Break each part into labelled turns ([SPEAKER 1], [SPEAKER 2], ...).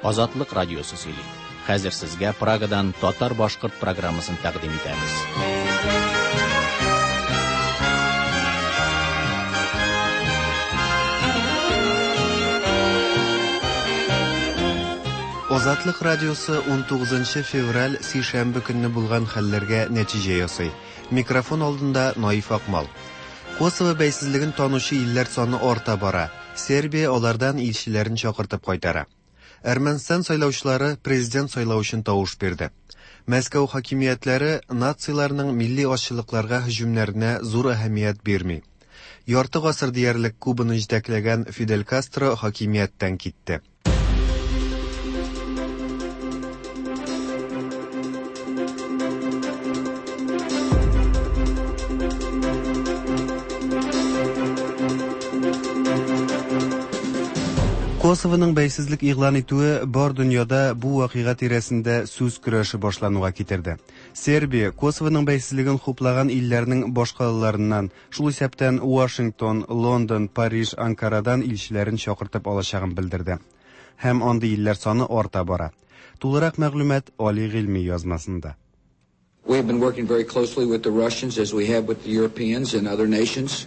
[SPEAKER 1] Азатлык радиосы сөйли. Хәзер сезгә Прагадан татар-башкорт программасын тәкъдим итәбез.
[SPEAKER 2] Азатлык радиосы 19 февраль сишәмбе көнне булган хәлләргә нәтиҗә ясый. Микрофон алдында Наиф Акмал. Косово бәйсезлеген танучы илләр саны арта бара. Сербия алардан илчеләрен чакыртып кайтара. Әрмәнстан сайлаучылары президент сайлау өчен тавыш бирде. Мәскәү хакимиятләре нациларның милли азчылыкларга һөҗүмнәренә зур әһәмият бирми. Ярты гасыр диярлек Кубаны җитәкләгән Фидель Кастро хакимияттән китте. Косовоның бәйсезлек игълан итүе бар дөньяда бу вакыйга тирәсендә сүз көрәше башлануга китерде. Сербия Косовоның бәйсезлеген хуплаган илләрнең башкалаларыннан, шул исәптән Вашингтон, Лондон, Париж, Анкарадан илчеләрен чакыртып алачагын белдерде. Һәм андый илләр саны арта бара. Тулырак мәгълүмат Али Гыйльми язмасында.
[SPEAKER 3] We have been working very closely with the Russians as we have with the Europeans and other nations.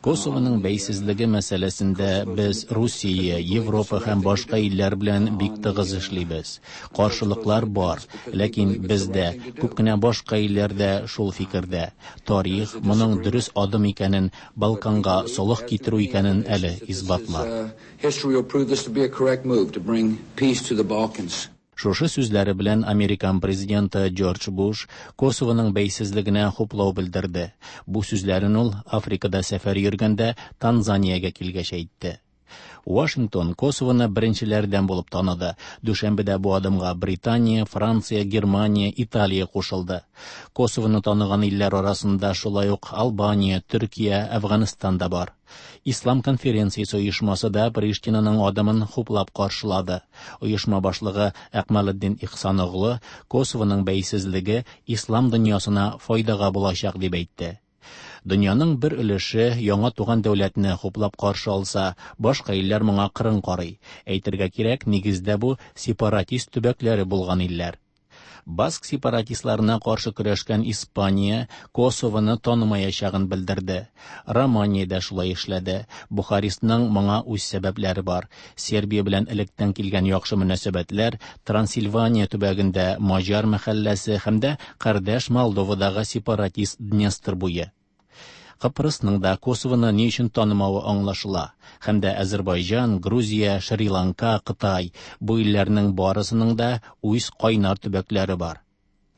[SPEAKER 1] Косовоның бәйсезлеге мәсьәләсендә без Русия, Европа һәм башка илләр белән бик тыгыз эшлибез. Каршылыклар бар, ләкин без дә, күп кенә башка илләр дә шул фикердә. Тарих моның дөрес адым икәнен, Балканга солых китерү икәнен әле исбатлар.
[SPEAKER 3] History will prove this to be a correct move to bring peace to the Balkans.
[SPEAKER 1] Шушы сүзләре белән Американ президенты Джордж Буш Косовоның бәйсезлегенә хуплау белдерде. Бу сүзләрен ул Африкада сәфәр йөргәндә Танзаниягә килгәч әйтте. Вашингтон Косовоны беренчеләрдән булып таныды. Дүшәмбедә бу адымга Британия, Франция, Германия, Италия кушылды. Косовоны таныган илләр арасында шулай ук Албания, Төркия, Әфганстан да бар. Ислам конференциясе оешмасы да Приштинаның адымын хуплап каршылады. Оешма башлыгы Әкмалетдин Ихсаноглы Косовоның бәйсезлеге ислам дөньясына файдага булачак дип әйтте. Дөньяның бер өлеше яңа туган дәүләтне хуплап каршы алса, башка илләр моңа кырын карый. Әйтергә кирәк, нигездә бу сепаратист төбәкләре булган илләр. Баск сепаратистларына каршы көрәшкән Испания Косовоны танымаячагын белдерде. Романия дә шулай эшләде. Бухарестның моңа үз сәбәпләре бар. Сербия белән электән килгән яхшы мөнәсәбәтләр, Трансильвания төбәгендә маҗар мәхәлләсе һәм дә кардәш Молдовадагы сепаратист Днестр буе. Кыпрысның да Косовоны ни өчен танымавы аңлашыла. Һәм дә Әзербайҗан, Грузия, Шри-Ланка, Кытай бу илләрнең барысының да үз кайнар төбәкләре бар.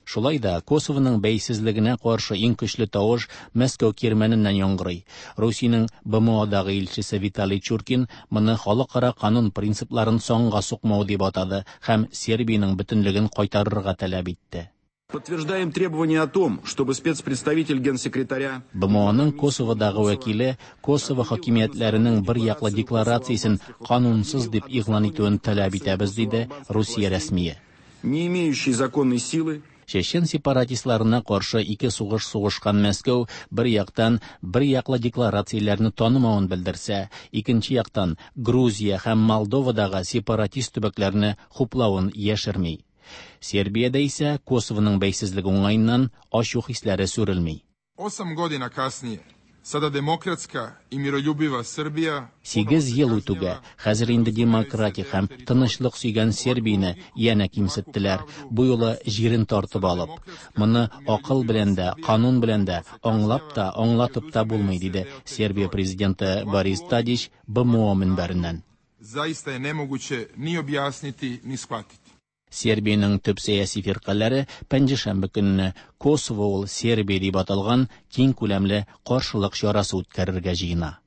[SPEAKER 1] Шулай да Косовоның бәйсезлегенә каршы иң көчле тавыш Мәскәү кирмәненнән яңгырый. Русиянең БМОдагы илчесе Виталий Чуркин моны халыкара канун принципларын санга сукмау дип атады һәм Сербиянең бөтенлеген кайтарырга таләп итте.
[SPEAKER 4] Подтверждаем требование о том, чтобы спецпредставитель генсекретаря
[SPEAKER 1] БМОның Косоводагы вәкиле Косово хакимиятләренең бер яклы декларациясен канунсыз дип игълан итүен таләп итәбез, диде Русия рәсмие.
[SPEAKER 4] Не имеющей законной силы,
[SPEAKER 1] Чечен сепаратистларына каршы ике сугыш сугышкан Мәскәү бер яктан бер яклы декларацияләрне танымавын белдерсә, икенче яктан Грузия һәм Молдовадагы сепаратист төбәкләрне хуплавын яшерми. Сербиядә исә Косовоның бәйсезлеге уңаеннан ачу хисләре сүрелми.
[SPEAKER 5] 8 godina kasnije, sada demokratska i miroljubiva Srbija...
[SPEAKER 1] 8 ел үтүгә, хәзер инде демократик һәм тынычлык сөйгән Сербияне янә кимсеттеләр, бу юлы җирен тартып алып. Моны акыл белән дә, канун белән дә, аңлап та, аңлатып та булмый, диде Сербия президенты Борис Тадич БМО мөнбәреннән.
[SPEAKER 5] Zaista je nemoguće ni objasniti, ni shvatiti.
[SPEAKER 1] Сербиянең төп сәяси фиркаләре пәнҗешәмбе көнне Косово ул Сербия дип аталган киң күләмле каршылык чарасы үткәрергә җыена.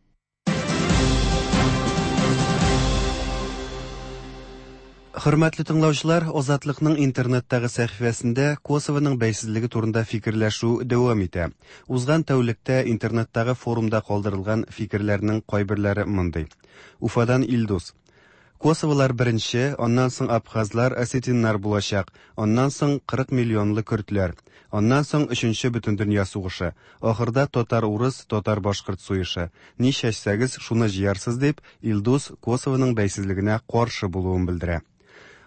[SPEAKER 2] Хөрмәтле тыңлаучылар, Азатлыкның интернеттагы сәхифәсендә Косовоның бәйсезлеге турында фикерләшү дәвам итә. Узган тәүлектә интернеттагы форумда калдырылган фикерләрнең кайберләре мондый. Уфадан Илдус. Косоволар беренче, аннан соң абхазлар, осетиннар булачак, аннан соң 40 миллионлы көрдләр, аннан соң өченче бөтендөнья сугышы, ахырда татар-урыс, татар-башкорт сугышы. Ни чәчсәгез, шуны җыярсыз дип, Илдус Косовоның бәйсезлегенә каршы булуын белдерә.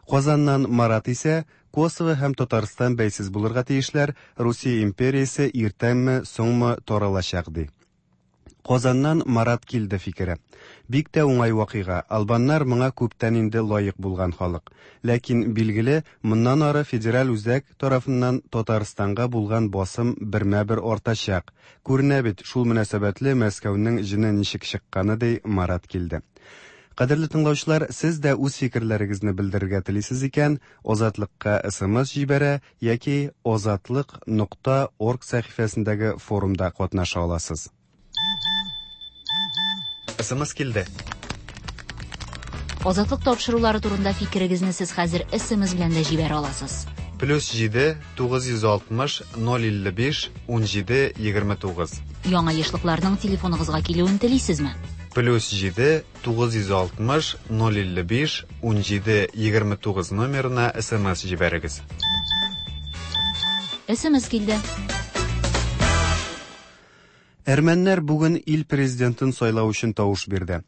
[SPEAKER 2] Казаннан Марат исә Косово һәм Татарстан бәйсез булырга тиешләр, Русия империясе иртәнме, соңмы таралачак ди. Казаннан Марат килде фикере. Бик тә уңай вакыйга. Албаннар моңа күптән инде лаек булган халык. Ләкин, билгеле, моннан ары федераль үзәк тарафыннан Татарстанга булган басым бермә-бер артачак. Күренә бит, шул мөнәсәбәтле Мәскәүнең җене ничек чыкканы, ди Марат килде. Кадерле тыңлаучылар, сез дә үз фикерләрегезне белдерергә телисез икән, Азатлыкка СМС җибәрә яки azatliq.org сәхифәсендәге форумда катнаша аласыз. СМС килде.
[SPEAKER 6] Азатлык тапшырулары турында фикерегезне сез хәзер СМС белән дә җибәрә аласыз.
[SPEAKER 2] Плюс 7 960 055 17 29.
[SPEAKER 6] Яңа ешлыкларның телефоныгызга килүен телисезме?
[SPEAKER 2] Плюс 7 960 055 17 29 номерына СМС җибәрегез.
[SPEAKER 6] СМС килде.
[SPEAKER 2] Әрмәннәр бүген ил президентын сайлау өчен тавыш бирде.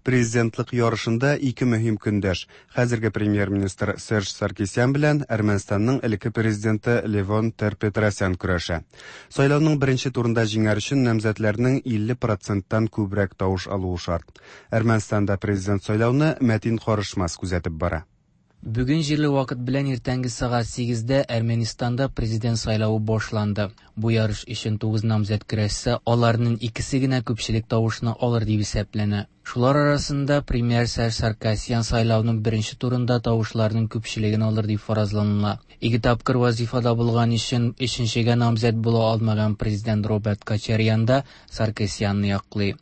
[SPEAKER 2] Президентлык ярышында ике мөһим көндәш. Хәзерге премьер-министр Серж Саркисян белән Әрмәнстанның элекке президенты Левон Тер-Петросян көрәшә. Сайлауның беренче турында җиңәр өчен намзәтләрнең 50%-тан күбрәк тавыш алуы шарт. Әрмәнстанда президент сайлауны Мәтин Карышмас күзәтеп бара.
[SPEAKER 7] Бүген җирле вакыт белән иртәнге сәгать 8-дә Әрмәнстанда президент сайлавы башланды. Бу ярыш өчен 9 намзәт көрәшсә, аларның икесе генә күпчелек тавышны алыр дип исәпләнә. Шулар арасында премьер Серж Саркисян сайлауның беренче турында тавышларның күпчелеген алыр дип фаразланыла. Ике тапкыр вазифада булган өчен өченчегә намзәт була алмаган президент Роберт Кочарян да Саркисянны яклый.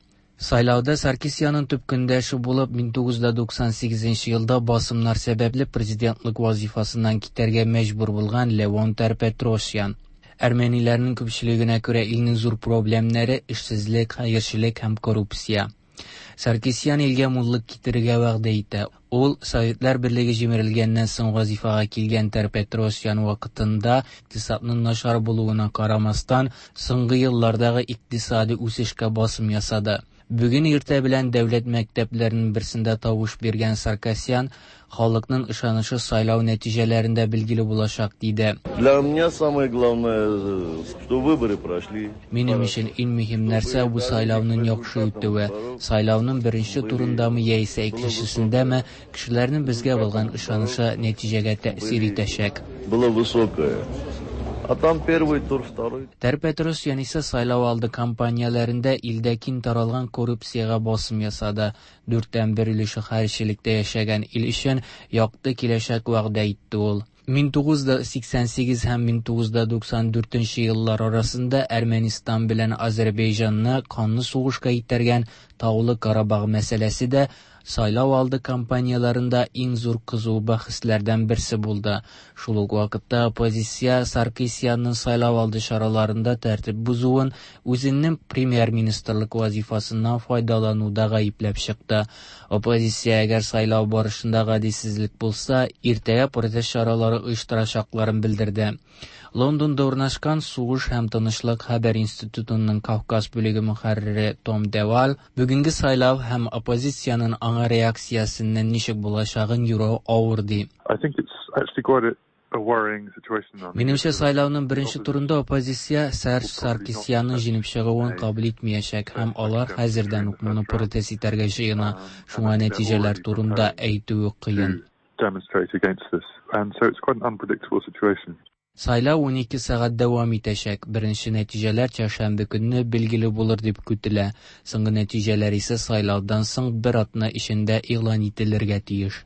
[SPEAKER 7] Сайлауда Саркисянның төп көндәше булып 1998 елда басымнар сәбәпле президентлык вазифасыннан китәргә мәҗбүр булган Левон Тер-Петросян. Әрмәниләрнең күпчелегенә күрә илнең зур проблемнары эшсезлек, хәерчелек һәм коррупция. Саркисян илгә муллык китерергә вәгъдә итә. Ул Советлар Берлеге җимерелгәннән соң вазифага килгән Тер-Петросян вакытында икътисадның начар булуына карамастан, соңгы еллардагы икътисади үсешкә басым ясады. Бүген иртә белән дәүләт мәктәпләренең берсендә тавыш биргән Саркисян халыкның ышанышы сайлау нәтиҗәләрендә билгеле булачак диде.
[SPEAKER 8] Для меня самое главное, что выборы прошли.
[SPEAKER 7] Минем өчен иң мөһим нәрсә бу сайлауның яхшы үтүе. Сайлауның беренче турындамы яисә икенчесендәме, кешеләрнең безгә булган ышанышы нәтиҗәгә тәэсир итәчәк.
[SPEAKER 8] Было высокое. А там первый тур, второй.
[SPEAKER 7] Тер-Петросян исә сайлау алды кампанияләрендә илдә киң таралган коррупциягә басым ясады. 1/4 өлеше хәерчелектә яшәгән ил өчен якты киләчәк вәгъдә итте ул. 1988 һәм 1994 еллар арасында Әрмәнстан белән Азербайҗанны канлы сугышка итәргән Таулы Карабах мәсьәләсе дә сайлау алды кампанияләрендә иң зур кызу бәхәсләрдән берсе булды. Шул ук вакытта оппозиция Саркисянның сайлау алды чараларында тәртип бозуын үзенең премьер-министрлык вазифасыннан файдалануда гаепләп чыкты. Оппозиция әгәр сайлау барышында гаделсезлек булса, иртәгә протест чаралары оештырачакларын белдерде. Лондонда урнашкан Сугыш һәм тынычлык хәбәр институтының Кавказ бүлеге мөхәррире Том Девал бүгенге сайлау һәм оппозициянең аңа реакциясеннән ничек булачагын юрау авыр ди.
[SPEAKER 5] I think it's actually quite a worrying situation.
[SPEAKER 7] Минемчә, сайлауның беренче турында оппозиция Серж Саркисянның җиңеп чыгуын кабул итмәячәк һәм алар хәзердән үк моны протест итәргә җыена. Шуңа нәтиҗәләр турында әйтүе кыен.
[SPEAKER 5] Demonstrate against this, and so it's quite an unpredictable situation.
[SPEAKER 7] Сайлау 12 сәгать дәвам итәчәк. Беренче нәтиҗәләр чәршәмбе көнне билгеле булыр дип көтелә. Соңгы нәтиҗәләр исә сайлаудан соң бер атна эчендә игълан ителергә тиеш.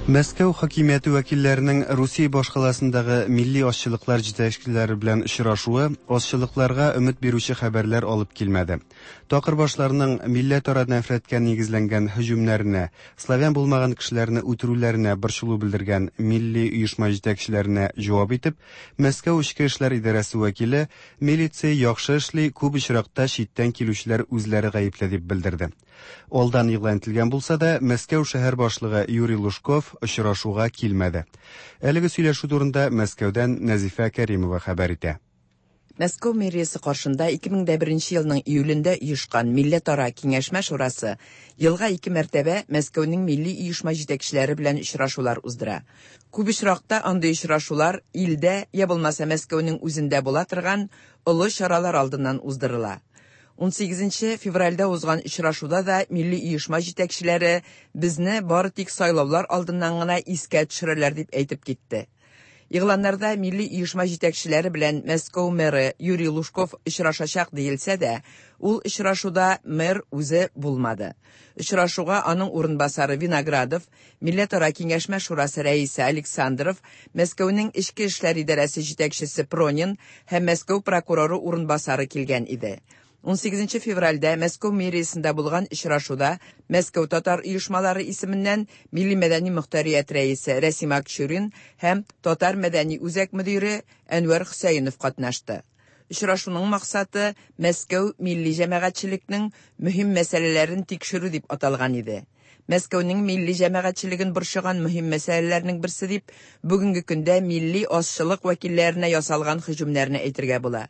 [SPEAKER 2] Мәскәү хакимияте вәкилләренең Русия башкаласындагы милли азчылыклар җитәкчеләре белән очрашуы азчылыкларга өмет бирүче хәбәрләр алып килмәде. Такырбашларның милләтара нәфрәткә нигезләнгән һөҗүмнәренә, славян булмаган кешеләрне үтерүләренә борчылу белдергән милли оешма җитәкчеләренә җавап итеп, Мәскәү эчке эшләр идарәсе вәкиле милиция яхшы эшли, күп очракта читтән килүчеләр үзләре гаепле дип белдерде. Алдан игълан ителгән булса да, Мәскәү шәһәр башлыгы Юрий Лужков очрашуга килмәде. Әлеге сөйләшү турында Мәскәүдән Нәзифә Кәримова хәбәр итә.
[SPEAKER 9] Мәскәү мэриясе каршында 2001 елның июлендә оешкан Милләтара киңәшмә шурасы елга ике мәртәбә Мәскәүнең милли оешма җитәкчеләре белән очрашулар уздыра. Күп очракта андый очрашулар илдә, я булмаса Мәскәүнең үзендә була торган олы чаралар алдыннан уздырыла. 18 февральдә узган очрашуда да милли оешма җитәкчеләре безне бары тик сайлаулар алдыннан гына искә төшерәләр дип әйтеп китте. Игъланнарда милли оешма җитәкчеләре белән Мәскәү мэры Юрий Лужков очрашачак диелсә дә, ул очрашуда мэр үзе булмады. Очрашуга аның урынбасары Виноградов, Милләтара киңәшмә шурасы рәисе Александров, Мәскәүнең эчке эшләр идарәсе җитәкчесе Пронин һәм Мәскәү прокуроры урынбасары килгән иде. 18 февральдә Мәскәү мэриясендә булган очрашуда Мәскәү татар оешмалары исеменнән Милли мәдәни мөхтәрият рәисе Рәсим Акчурин һәм Татар мәдәни үзәк мөдире Әнвәр Хөсәенов катнашты. Очрашуның максаты Мәскәү милли җәмәгатьчелекнең мөһим мәсьәләләрен тикшерү дип аталган иде. Мәскәүнең милли җәмәгатьчелеген борчыган мөһим мәсьәләләрнең берсе дип бүгенге көндә милли азчылык вәкилләренә ясалган һөҗүмнәрне әйтергә була.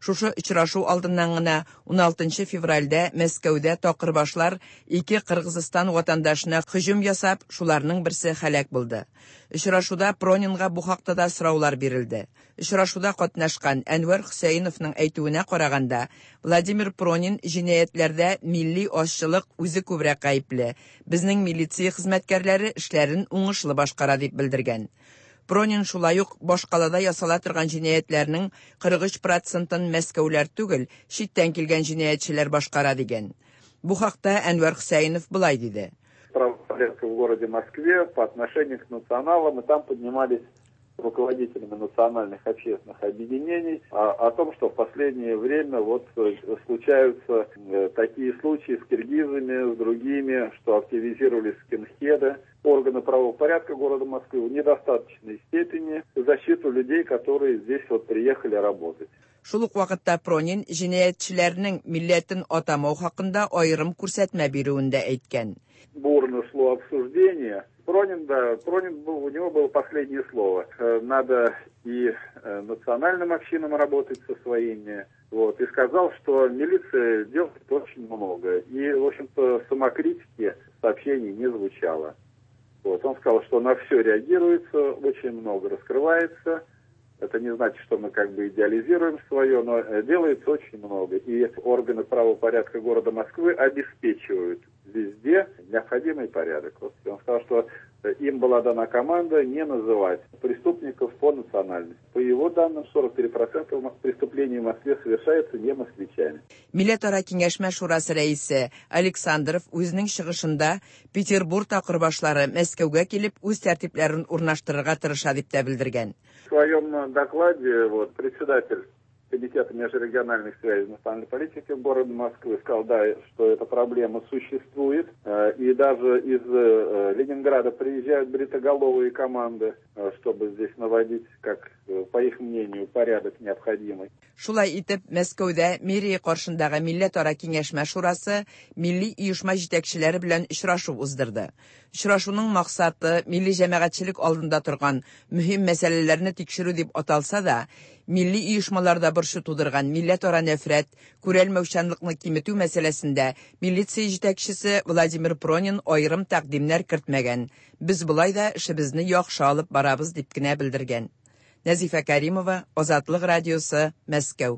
[SPEAKER 9] Шушы очрашу алдыннан гына 16 февральдә Мәскәүдә такырбашлар ике Кыргызстан ватандашына һөҗүм ясап, шуларның берсе һәлак булды. Очрашуда Пронинга бу хакта да сораулар бирелде. Очрашуда катнашкан Әнвәр Хөсәеновның әйтүенә караганда, Владимир Пронин җинаятьләрдә милли азчылык үзе күбрәк гаепле. Безнең милиция хезмәткәрләре эшләрен уңышлы башкара дип белдергән. Пронин шулай ук башкалада ясала торган җинаятьләрнең 43%-ын Мәскәүләр түгел, читтән килгән җинаятьчеләр башкара дигән. Бу хакта Әнвәр Хөсәенов болай диде.
[SPEAKER 10] Правопорядка в городе Москве по отношению к националам, и там поднимались руководителями национальных общественных объединений о том, что в последнее время вот случаются такие случаи с киргизами, с другими, что активизировались скинхеды. Органы правопорядка города Москвы в недостаточной степени защиту людей, которые здесь вот приехали работать.
[SPEAKER 9] Шул ук вакытта Пронин җинаятьчеләрнең милләтен атамау хакында аерым күрсәтмә бирүен дә әйткән.
[SPEAKER 10] Бурно шло обсуждение. Пронин, да, Пронин был, у него было последнее слово. Надо и национальным общинам работать со своими. Вот, и сказал, что милиция делает очень много. И, в общем-то, самокритики сообщений не звучало. Вот, он сказал, что на все реагируется, очень много раскрывается. Это не значит, что мы как бы идеализируем свое, но делается очень много. И органы правопорядка города Москвы обеспечивают везде необходимый порядок. Вот он сказал, что им была дана команда не называть преступников по национальности. По его данным, 43% преступлений в Москве совершаются не москвичами.
[SPEAKER 9] Милләтара киңәшмә шурасы рәисе Александров үзенең чыгышында Петербург такырбашлары Мәскәүгә килеп үз тәртипләрен урнаштырырга тырыша дип тә белдергән.
[SPEAKER 10] В своем докладе вот, председатель Комитета межрегиональных связей национальной политики города Москвы сказал, да, что эта проблема существует. И даже из Ленинграда приезжают бритоголовые команды, чтобы здесь наводить, как, по их мнению, порядок необходимый.
[SPEAKER 9] Шулай итеп, Мәскәүдә мэрия каршындагы Милләтара киңәшмә шурасы милли оешма җитәкчеләре белән очрашу уздырды. Очрашуның максаты милли җәмәгатьчелек алдында торган мөһим мәсьәләләрне тикшерү дип аталса да, милли оешмаларда борчу тудырган милләтара нәфрәт, күрәлмәүчәнлекне киметү мәсьәләсендә милиция җитәкчесе Владимир Пронин аерым тәкъдимнәр кертмәгән. Без болай да эшебезне яхшы алып барабыз дип кенә белдергән. Нәзифә Каримова, Азатлык радиосы, Мәскәү.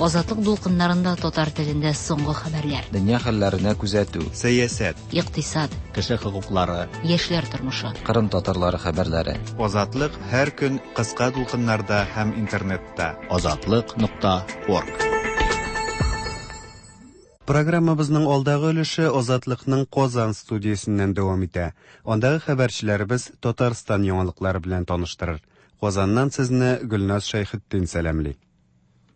[SPEAKER 6] Азатлык дулкыннарында татар телендә соңгы хәбәрләр.
[SPEAKER 11] Дөнья хәлләренә күзәтү.
[SPEAKER 2] Сәясәт.
[SPEAKER 6] Икътисад.
[SPEAKER 1] Кеше хокуклары.
[SPEAKER 6] Яшьләр тормышы.
[SPEAKER 11] Кырым татарлары хәбәрләре.
[SPEAKER 2] Азатлык һәр көн кыска дулкыннарда һәм интернетта.
[SPEAKER 1] Азатлык.орг.
[SPEAKER 2] Программабызның алдагы өлеше Азатлыкның Казан студиясеннән дәвам итә. Андагы хәбәрчеләребез Татарстан яңалыклары белән таныштырыр. Казаннан сезне Гөлназ Шәйхетдин сәламли.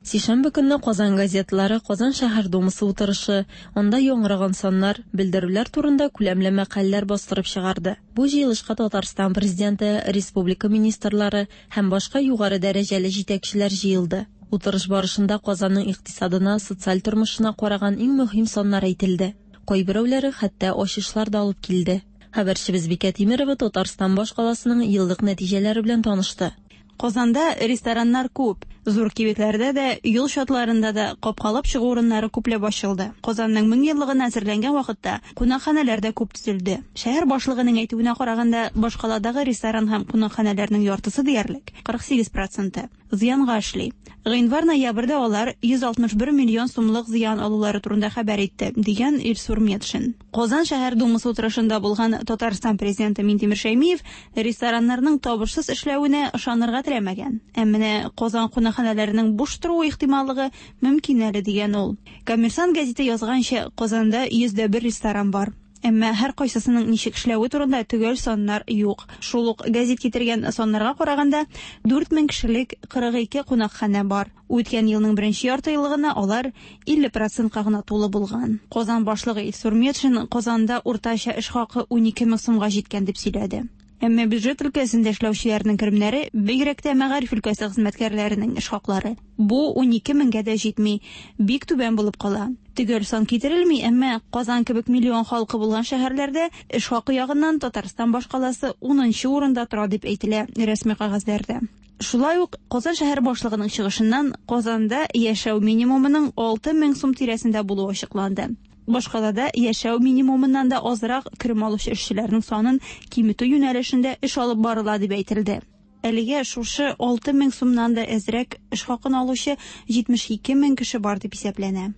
[SPEAKER 12] Сишәмбе көнне Казан газеталары Казан шәһәр думасы утырышы, анда яңгыраган саннар, белдерүләр турында күләмле мәкаләләр бастырып чыгарды. Бу җыелышка Татарстан президенты, республика министрлары һәм башка югары дәрәҗәле җитәкчеләр җыелды. Утырыш барышында Казанның икътисадына, социаль тормышына караган иң мөһим саннар әйтелде. Кайберәүләре хәтта ачышлар да алып килде. Хәбәрчебез Бикә Тимерова Татарстан башкаласының еллык нәтиҗәләре белән танышты.
[SPEAKER 13] Казанда рестораннар күп. Зур кибетләрдә дә, юл чатларында да капкалап чыгу урыннары күпләп ачылды. Казанның 1000 еллыгына әзерләнгән вакытта кунакханәләр дә күп төзелде. Шәһәр башлыгының әйтүенә караганда, башкаладагы ресторан һәм кунакханәләрнең яртысы диярлек, 48 проценты, зыянга эшли. Гыйнвар-ноябрьдә алар 161 миллион сумлык зыян алулары турында хәбәр итте, дигән Илсур Метшин. Казан шәһәр Думасы утырышында булган Татарстан президенты Минтимер Шәймиев рестораннарның табышсыз эшләвенә ышанырга теләмәгән. Ә менә Казан кунакханәләренең буш торуы ихтималлыгы мөмкин әле, дигән ул. Коммерсант гәзите язганча, Казанда 101 ресторан бар. Әмма һәркайсысының ничек эшләве турында төгәл саннар юк. Шул ук гәзит китергән саннарга караганда, 4000 кешелек 42 кунакханә бар. Үткән елның беренче яртыеллыгына алар 50 процентка гына тулы булган. Казан башлыгы Илсур Метшин Казанда уртача эш хакы 12 мең сумга җиткән дип сөйләде. Әмма бюджет өлкәсендә эшләүчеләрнең керемнәре, бигрәк тә мәгариф өлкәсе хезмәткәрләренең эш хаклары, бу 12 меңгә дә җитми, бик түбән булып кала. Төгәл сан китерелми, әмма Казан кебек миллион халкы булган шәһәрләрдә эш хакы ягыннан Татарстан башкаласы 10нчы урында тора дип әйтелә рәсми кәгазьләрдә. Шулай ук Казан шәһәр башлыгының чыгышыннан Казанда яшәү минимумының 6000 сум тирәсендә булуы ачыкланды. Башкалада яшәү минимумыннан да азрак керем алучы эшчеләрнең санын киметү юнәлешендә эш алып барыла дип әйтелде. Әлегә шушы 6000 сумнан да әзрәк эш хакын алучы 72 мең кеше бар дип исәпләнә.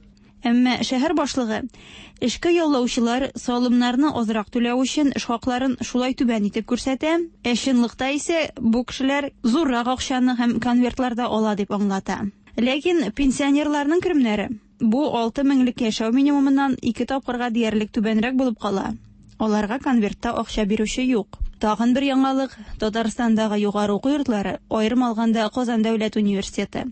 [SPEAKER 13] Әмма шәһәр башлыгы эшкә яллаучылар салымнарны азрак түләү өчен эш хакларын шулай түбән итеп күрсәтә, ә чынлыкта исә бу кешеләр зуррак акчаны һәм конвертларда ала дип аңлата. Ләкин пенсионерларның керемнәре бу 6 меңлек яшәү минимумыннан 2 тапкырга диярлек түбәнрәк булып кала. Аларга конвертта акча бирүче юк. Тагын бер яңалык: Татарстандагы югары уку йортлары, аерым алганда Казан дәүләт университеты,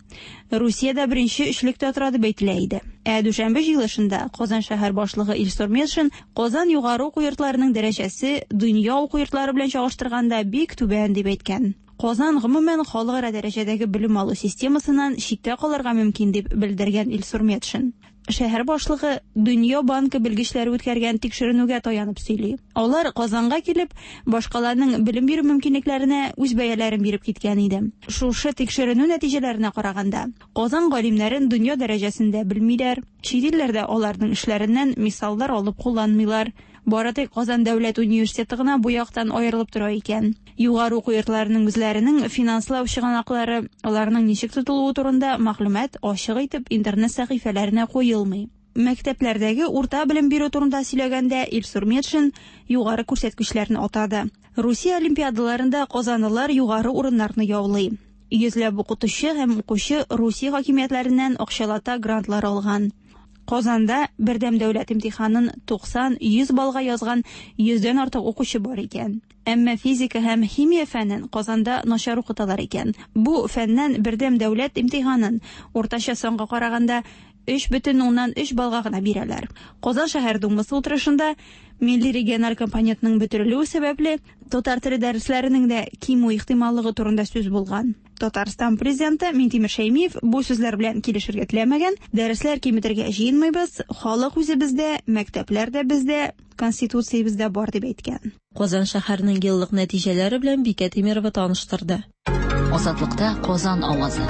[SPEAKER 13] Русиядә беренче өчлектә тора дип әйтелә иде. Ә дүшәмбе җыелышында Казан шәһәр башлыгы Илсур Метшин Казан югары уку йортларының дәрәҗәсе дөнья уку йортлары белән чагыштырганда бик түбән дип әйткән. Казан гомумән халыкара дәрәҗәдәге белем алу системасыннан читтә калырга мөмкин дип белдергән Илсур Метшин. Шәһәр башлыгы Дөнья банкы белгечләре үткәргән тикшеренүгә таянып сөйли. Алар Казанга килеп, башкаланың белем бирү мөмкинлекләренә үз бәяләрен биреп киткән иде. Шушы тикшеренү нәтиҗәләренә караганда, Казан галимнәрен дөнья дәрәҗәсендә белмиләр, чит илләрдә аларның эшләреннән мисаллар алып кулланмыйлар. Бары тик Казан дәүләт университеты гына бу яктан аерылып тора икән. Югары уку йортларының үзләренең финанслау чыганаклары, аларның ничек тотылуы турында мәгълүмат ачык итеп интернет сәхифәләренә куелмый. Мәктәпләрдәге урта белем бирү турында сөйләгәндә Илсур Метшин югары күрсәткечләрне атады. Русия олимпиадаларында казанлылар югары урыннарны яулый. Йөзләп укытучы һәм укучы Русия хакимиятләреннән акчалата грантлар алган. Казанда бердәм дәүләт имтиханын 90-100 баллга язган 100дән артык укучы бар икән. Әмма физика һәм химия фәнен Казанда начар укыталар икән. Бу фәннән бердәм дәүләт имтиханын уртача санга караганда 3,3 баллга гына бирәләр. Казан шәһәр думасы утырышында милли региональ компонентның бетерелүе сәбәпле татар теле дәресләренең дә кимү ихтималлыгы турында сүз булган. Татарстан президенты Минтимер Шәймиев бу сүзләр белән килешергә теләмәгән. Дәресләр киметергә җыенмыйбыз, халык үзе бездә, мәктәпләр дә бездә, конституциябездә бар дип әйткән.
[SPEAKER 12] Казан шәһәренең еллык нәтиҗәләре белән Бикә Тимерова таныштырды.
[SPEAKER 6] Азатлыкта Казан авазы.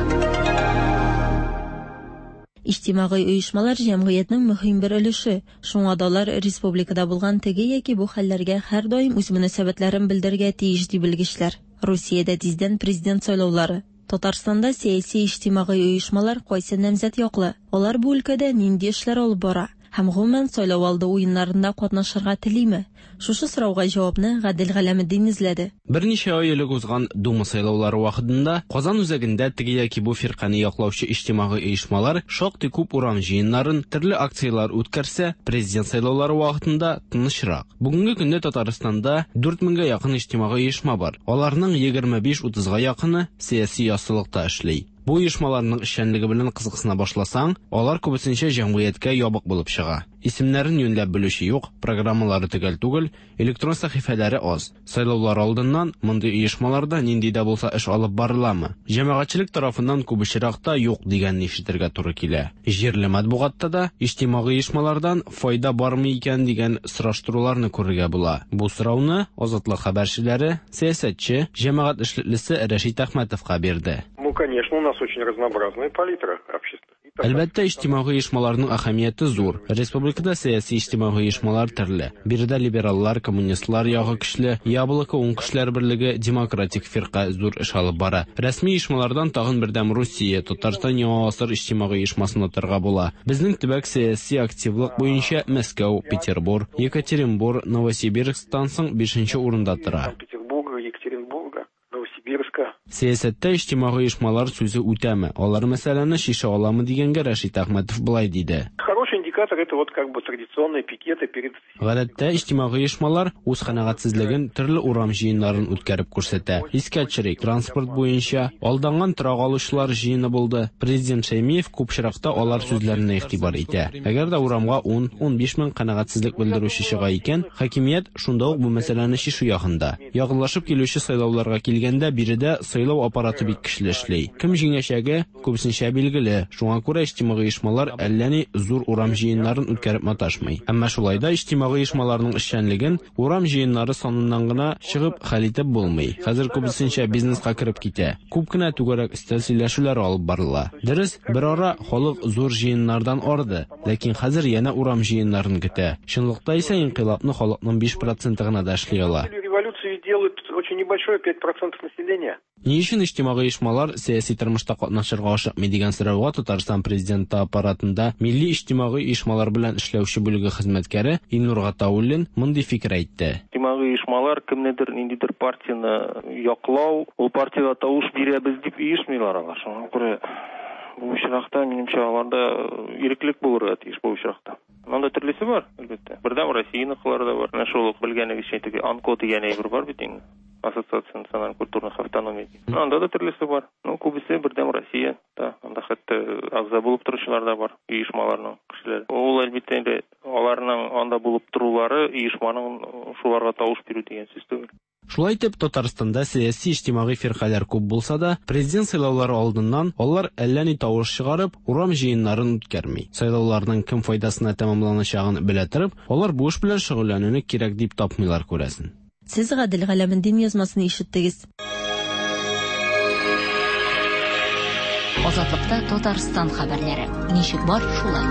[SPEAKER 12] Иҗтимагый оешмалар җәмгыятьнең мөһим бер өлеше. Шуңа да алар республикада булган теге яки бу хәлләргә һәрдаим үз мөнәсәбәтләрен белдерергә тиеш, ди белгечләр. Русиядә тиздән президент сайлаулары. Татарстанда сәяси иҗтимагый оешмалар кайсы намзәт яклы? Алар бу өлкәдә нинди эшләр алып бара? Һәм гомумән сайлау алды уеннарында катнашырга телиме? Шушы сорауга җавапны Гадел Галәметдин эзләде.
[SPEAKER 14] Берничә ай элек узган Дума сайлаулары вакытында Казан үзәгендә теге яки бу фиркане яклаучы иҗтимагый оешмалар шактый күп урам җыеннарын, төрле акцияләр үткәрсә, президент сайлаулары вакытында тынычрак. Бүгенге көндә Татарстанда 4000гә якын иҗтимагый оешма бар. Аларның 25-30га якыны сәяси яссылыкта эшли. Бу оешмаларның эшчәнлеге белән кызыксына башласаң, алар күбесенчә җәмгыятькә ябык булып чыга. Исемнәрен юньләп белүче юк, программалары төгәл түгел, электрон сәхифәләре аз. Сайлаулар алдыннан мондый оешмаларда нинди дә булса эш алып барыламы? Җәмәгатьчелек тарафыннан күп очракта юк дигәнне ишетергә туры килә. Җирле матбугатта да иҗтимагый оешмалардан файда бармы икән дигән сораштыруларны күрергә була. Бу сорауны Азатлык хәбәрчеләре сәясәтче, җәмәгать эшлеклесе Рәшит Әхмәтовка бирде.
[SPEAKER 15] Ну, конечно, у нас очень разнообразная палитра общества.
[SPEAKER 14] Әлбәттә, иҗтимагый оешмаларның әһәмияте зур. Республикада сәяси иҗтимагый оешмалар төрле. Биредә либераллар, коммунистлар ягы көчле, Яблоко уң көчләр берлеге, Демократик фирка зур эш алып бара. Рәсми оешмалардан тагын Бердәм Русия, Татарстан Яңа гасыр иҗтимагый оешмасын атарга була. Безнең төбәк сәяси активлык буенча Мәскәү, Петербур, Екатеринбур, Новосибирсктан соң бишенче урында тора.
[SPEAKER 15] Санкт-Петербурга, Екатеринбурга, Новосибирска.
[SPEAKER 14] Сәясәттә иҗтимагый оешмалар сүзе үтәме, алар мәсьәләне чишә аламы дигәнгә Рәшит Әхмәтов болай диде.
[SPEAKER 15] Хороший индикатор это вот как бы традиционные пикеты перед
[SPEAKER 14] Гадәттә, иҗтимагый оешмалар үз канәгатьсезлеген төрле урам җыеннарын үткәреп күрсәтә. Искә төшерик, транспорт буенча алданган торак алучылар җыены булды. Президент Шәймиев күп очракта алар сүзләренә игътибар итә. Әгәр дә урамга 10-15 мең канәгатьсезлек белдерүче чыга икән, хакимият шунда ук бу мәсьәләне чишү ягында. Якынлашып килүче сайлауларга килгәндә, биредә сайлау аппараты бик көчле эшли. Кем җиңәчәге, күбесенчә билгеле, шуңа күрә иҗтимагый оешмалар әллә ни зур урам җыеннарын үткәреп маташмый. Әмма шулай да иҗтимагый оешмаларның эшчәнлеген урам җыеннары саныннан гына чыгып хәл итеп булмый. Хәзер күбесенчә бизнеска кереп китә. Күп кенә түгәрәк өстәл сөйләшүләре алып барыла. Дөрес, берара халык зур җыеннардан арды, ләкин хәзер янә урам җыеннарын көтә. Чынлыкта исә инкыйлабны халыкның 5 проценты гына да эшли ала.
[SPEAKER 15] Революцию делают очень небольшое 5% населения.
[SPEAKER 14] Ни өчен иҗтимагый оешмалар сәяси тормышта катнашырга ашыкмый дигән сорауга Татарстан Президенты аппаратында милли иҗтимагый оешмалар белән эшләүче бүлеге хезмәткәре Илнур Гатауллин мондый фикер әйтте.
[SPEAKER 16] Иҗтимагый оешмалар кемнедер, ниндидер партияне яклау, ул партиягә тавыш бирәбез дип оешмыйлар алар. Шуңа күрә бу очракта, минемчә, аларда иреклек булырга тиеш бу очракта. Монда төрлесе бар, әлбәттә. Бердәм Россияныкылар да бар. Менә шул ук белгәнегезчә теге АНКО дигән әйбер бар бит инде. Ассоциация национальных культурных автономий. Ну, анда да төрлесе бар. Ну, күбесе Бердәм Россия да. Анда хәтта әгъза булып торучылар да бар, оешмаларның кешеләре. Ул әлбәттә инде аларның анда булып торулары оешманың шуларга тавыш бирү дигән сүз түгел.
[SPEAKER 14] Шулай итеп, Татарстанда сәяси иҗтимагый фиркаләр күп булса да, президент сайлаулары алдыннан алар әллә ни тавыш чыгарып, урам җыеннарын үткәрми. Сайлауларның кем файдасына тәмамланачагын белә торып, алар бу эш белән шөгыльләнүне кирәк дип тапмыйлар, күрәсең.
[SPEAKER 12] Сез Гадел Галәметдин язмасын ишеттегез.
[SPEAKER 6] Азатлыкта Татарстан хәбәрләре. Ничек бар, шулай.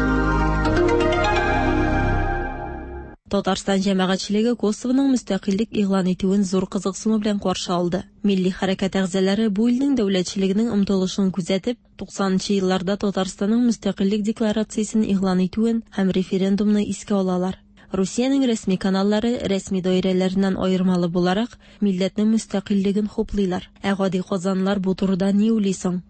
[SPEAKER 12] Татарстан җәмәгатьчелеге Косовоның мөстәкыйльлек игълан итүен зур кызыксыну белән каршы алды. Милли хәрәкәт әгъзалары бу илнең дәүләтчелегенең омтылышын күзәтеп, 90 нчы елларда Татарстанның мөстәкыйльлек декларациясен игълан итүен һәм референдумны искә алалар. Русиянең рәсми каналлары, рәсми даирәләреннән аермалы буларак, милләтнең мөстәкыйльлеген хуплыйлар. Ә гади казанлылар бу турыда ни уйлый соң?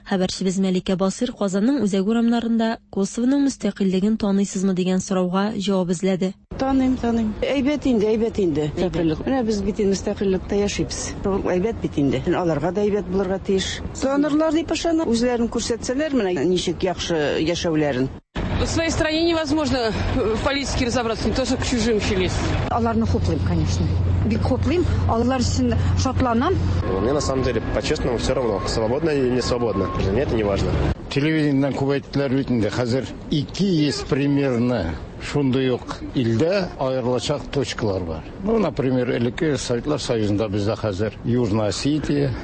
[SPEAKER 12] Хәбәрчебез Мәликә Басыйр Казанның үзәк урамнарында Косовоның мөстәкыйльлеген таныйсызмы дигән сорауга җавап эзләде.
[SPEAKER 17] Таныйм, таныйм. Әйбәт инде, әйбәт инде. Мөстәкыйльлек. Менә без бит инде мөстәкыйльлектә яшибез. Ул әйбәт бит инде. Аларга да әйбәт булырга тиеш. Танырлар дип ышанам. Үзләрен күрсәтсәләр, менә ничек яхшы яшәүләрен.
[SPEAKER 18] В своей стране невозможно в политике разобраться, не то что к чужим еще лезть.
[SPEAKER 19] Аларны хуплыйм, конечно. Бик хуплыйм, алар өчен шатланам.
[SPEAKER 20] Мне на самом деле, по-честному, все равно, свободно или не свободно. Для меня это не важно.
[SPEAKER 21] Телевидениедән күп әйттеләр бит инде, хәзер 200 примерно шундый ук илдә аерылачак точкалар бар. Ну, например, элекке Советлар Союзында бездә хәзер Южная Осетия,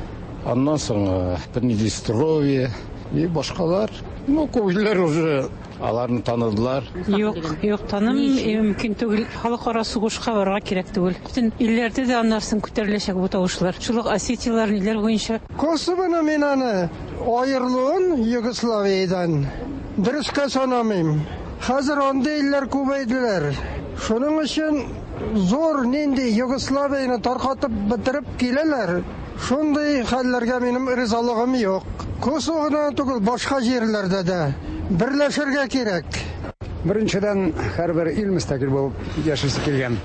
[SPEAKER 21] аннан соң Приднестровье и башкалар. Ну, күп илләр уже аларны таныдылар.
[SPEAKER 22] Юк, юк, танымыйм, мөмкин түгел. Халыкара сугышка барырга кирәк түгел. Бөтен илләрдә дә аннан соң күтәреләчәк бу тавышлар. Шул ук Осетияләр, ниләр буенча.
[SPEAKER 23] Косовоны мин аны аерылуын Югославиядән дөрескә санамыйм. Хәзер андый илләр күбәйделәр. Шуның өчен зур нинди Югославияне таркатып бетереп киләләр. Шундый хәлләргә минем ризалыгым юк. Косово гына түгел, башка җирләрдә дә берләшергә кирәк.
[SPEAKER 24] Беренчедән, һәрбер ил мөстәкыйль булып яшисе килгән.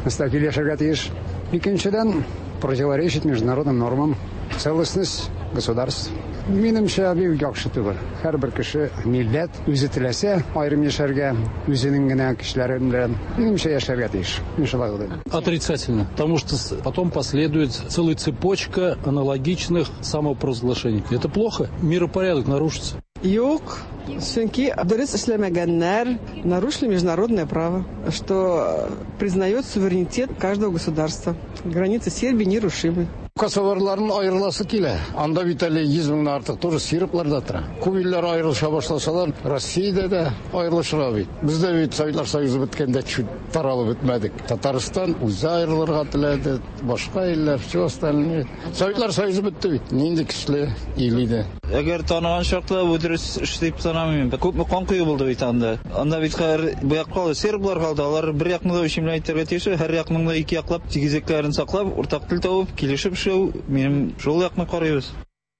[SPEAKER 24] Мөстәкыйль яшәргә тиеш. Икенчедән, противоречит международным нормам, целостность государств. Минемчә, бик яхшы түгел. Һәрбер кеше, милләт үзе теләсә аерым яшәргә, үзенең генә кешеләре белән, минемчә, яшәргә тиеш. Мин шулай уйлыйм.
[SPEAKER 3] Отрицательно, потому что потом последует целая цепочка аналогичных самопровозглашений. Это плохо, миропорядок нарушится.
[SPEAKER 4] Юк, чөнки дөрес эшләмәгәннәр, нарушили международное право, что признает суверенитет каждого государства. Границы Сербии нерушимы.
[SPEAKER 21] Косоварларның аерыласы килә. Анда бит әле 100 меңнән артык тоже серблар да тора. Күп илләр аерылыша башласалар, Россиядә дә аерылышырга бит. Без дә бит Советлар Союзы беткәндә чуть таралып бетмәдек. Татарстан үзе аерылырга теләде, башка илләр, все остальные. Советлар Союзы бетте бит. Нинди көчле ил иде.
[SPEAKER 5] Әгәр таныган чакта бу дөрес эш дип санамыйм. Күпме кан кою булды бит анда. Анда бит хәзер бу як калды, серблар калды. Алар бер якны да үчем белән әйтергә тиеш, һәр якның да ике яклап тигезлекләрен саклап, уртак тел табып, килешеп эшләү, минем шул якны карыйбыз.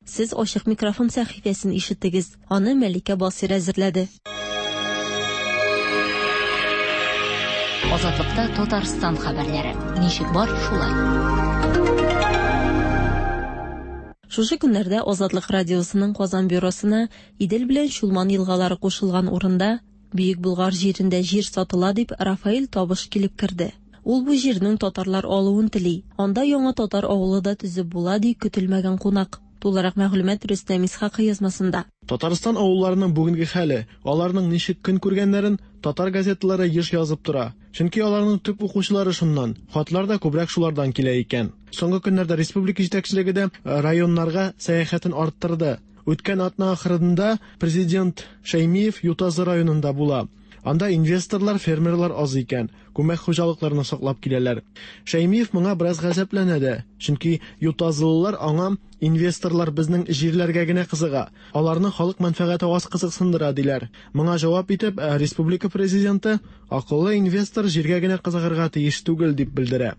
[SPEAKER 12] Сез Ачык микрофон сәхифәсен ишеттегез. Аны Мәликә Басыйр әзерләде.
[SPEAKER 6] Азатлыкта Татарстан хәбәрләре. Ничек бар, шулай.
[SPEAKER 12] Шушы көннәрдә Азатлык радиосының Казан бюросына Идел белән Чулман елгалары кушылган урында, Бөек Болгар җирендә җир сатыла дип Рафаэль Табыш килеп керде. Ул бу җирнең татарлар алуын тели. Анда яңа татар авылы да төзеп була, ди көтелмәгән кунак. Тулырак мәгълүмат Рөстәм Исхакый язмасында.
[SPEAKER 8] Татарстан авылларының бүгенге хәле, аларның ничек көн күргәннәрен татар газеталары еш язып тора. Чөнки аларның төп укучылары шуннан, хатлар да күбрәк шулардан килә икән. Соңгы көннәрдә республика җитәкчелеге дә районнарга сәяхәтен арттырды. Үткән атна ахырында президент Шәймиев Ютазы районында була. Анда инвесторлар, фермерлар аз икән, күмәк хуҗалыкларны саклап киләләр. Шәймиев моңа бераз гаҗәпләнә дә, чөнки ютазылылар аңа инвесторлар безнең җирләргә генә кызыга, аларны халык мәнфәгате аз кызыксындыра, диләр. Моңа җавап итеп, республика президенты акыллы инвестор җиргә генә кызыгырга тиеш түгел, дип белдерә.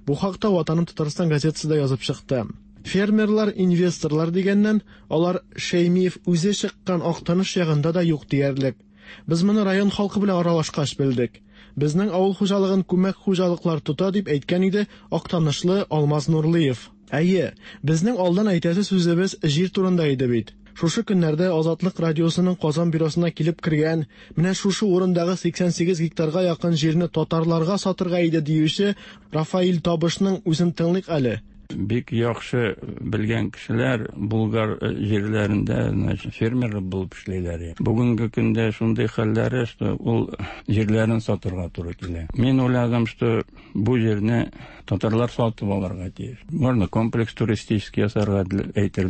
[SPEAKER 8] Бу хакта Ватаным Татарстан газетасы да язып чыкты. Фермерлар, инвесторлар дигәннән, алар Шәймиев үзе чыккан Актаныш ягында да юк диярлек. Без моны район халкы белән аралашкач белдек. Безнең авыл хуҗалыгын күмәк хуҗалыклар тота, дип әйткән иде Актанышлы Алмаз Нурлыев. Әйе, безнең алдан әйтәсе сүзебез җир турында иде бит. Шушы көннәрдә Азатлык радиосының Казан бюросына килеп кергән, менә шушы урындагы 88 гектарга якын җирне татарларга сатырга иде диюче Рафаил Табышның үзен тыңлыйк әле.
[SPEAKER 25] Бик яхшы белгән кешеләр Булгар җирләрендә, значит, фермер булып эшлиләр. Бүгенге көндә шундый хәлләре, что ул җирләрен сатырга туры килә. Мин уйладым, что бу җирне татарлар сатып алырга тиеш. Можно комплекс туристический ясарга, әйтер,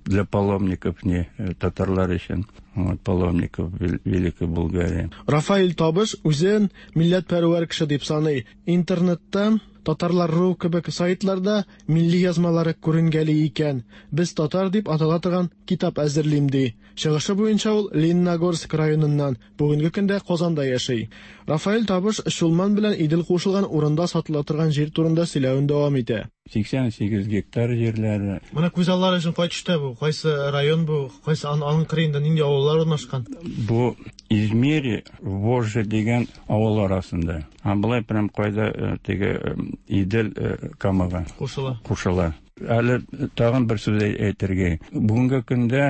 [SPEAKER 25] для паломников, не татарлар өчен. Вот, паломников Великой Булгарии.
[SPEAKER 8] Рафаэль Табыш үзен милләтпәрвәр кеше дип саный. Интернетта Татарлар.ру кебек сайтларда милли язмалары күренгәли икән. Без татар дип атала торган китап әзерлим ди. Чыгышы буенча ул Лениногорск районыннан, бүгенге көндә Казанда яши. Рафаэль Табыш Чулман белән Идел кушылган урында сатыла торган җир турында сөйләвен дәвам итә.
[SPEAKER 25] 88 гектар җирләре.
[SPEAKER 8] Менә күз аллары өчен кай төштә бу? Кайсы район бу? Кайсы аның кырыенда нинди авыллар урнашкан?
[SPEAKER 25] Бу Измири, Вожжи дигән авыл арасында. Ә болай прям кайда теге Идел Камага
[SPEAKER 8] кушыла.
[SPEAKER 25] Кушыла. Әле тагын бер сүз әйтергә. Бүгенге көндә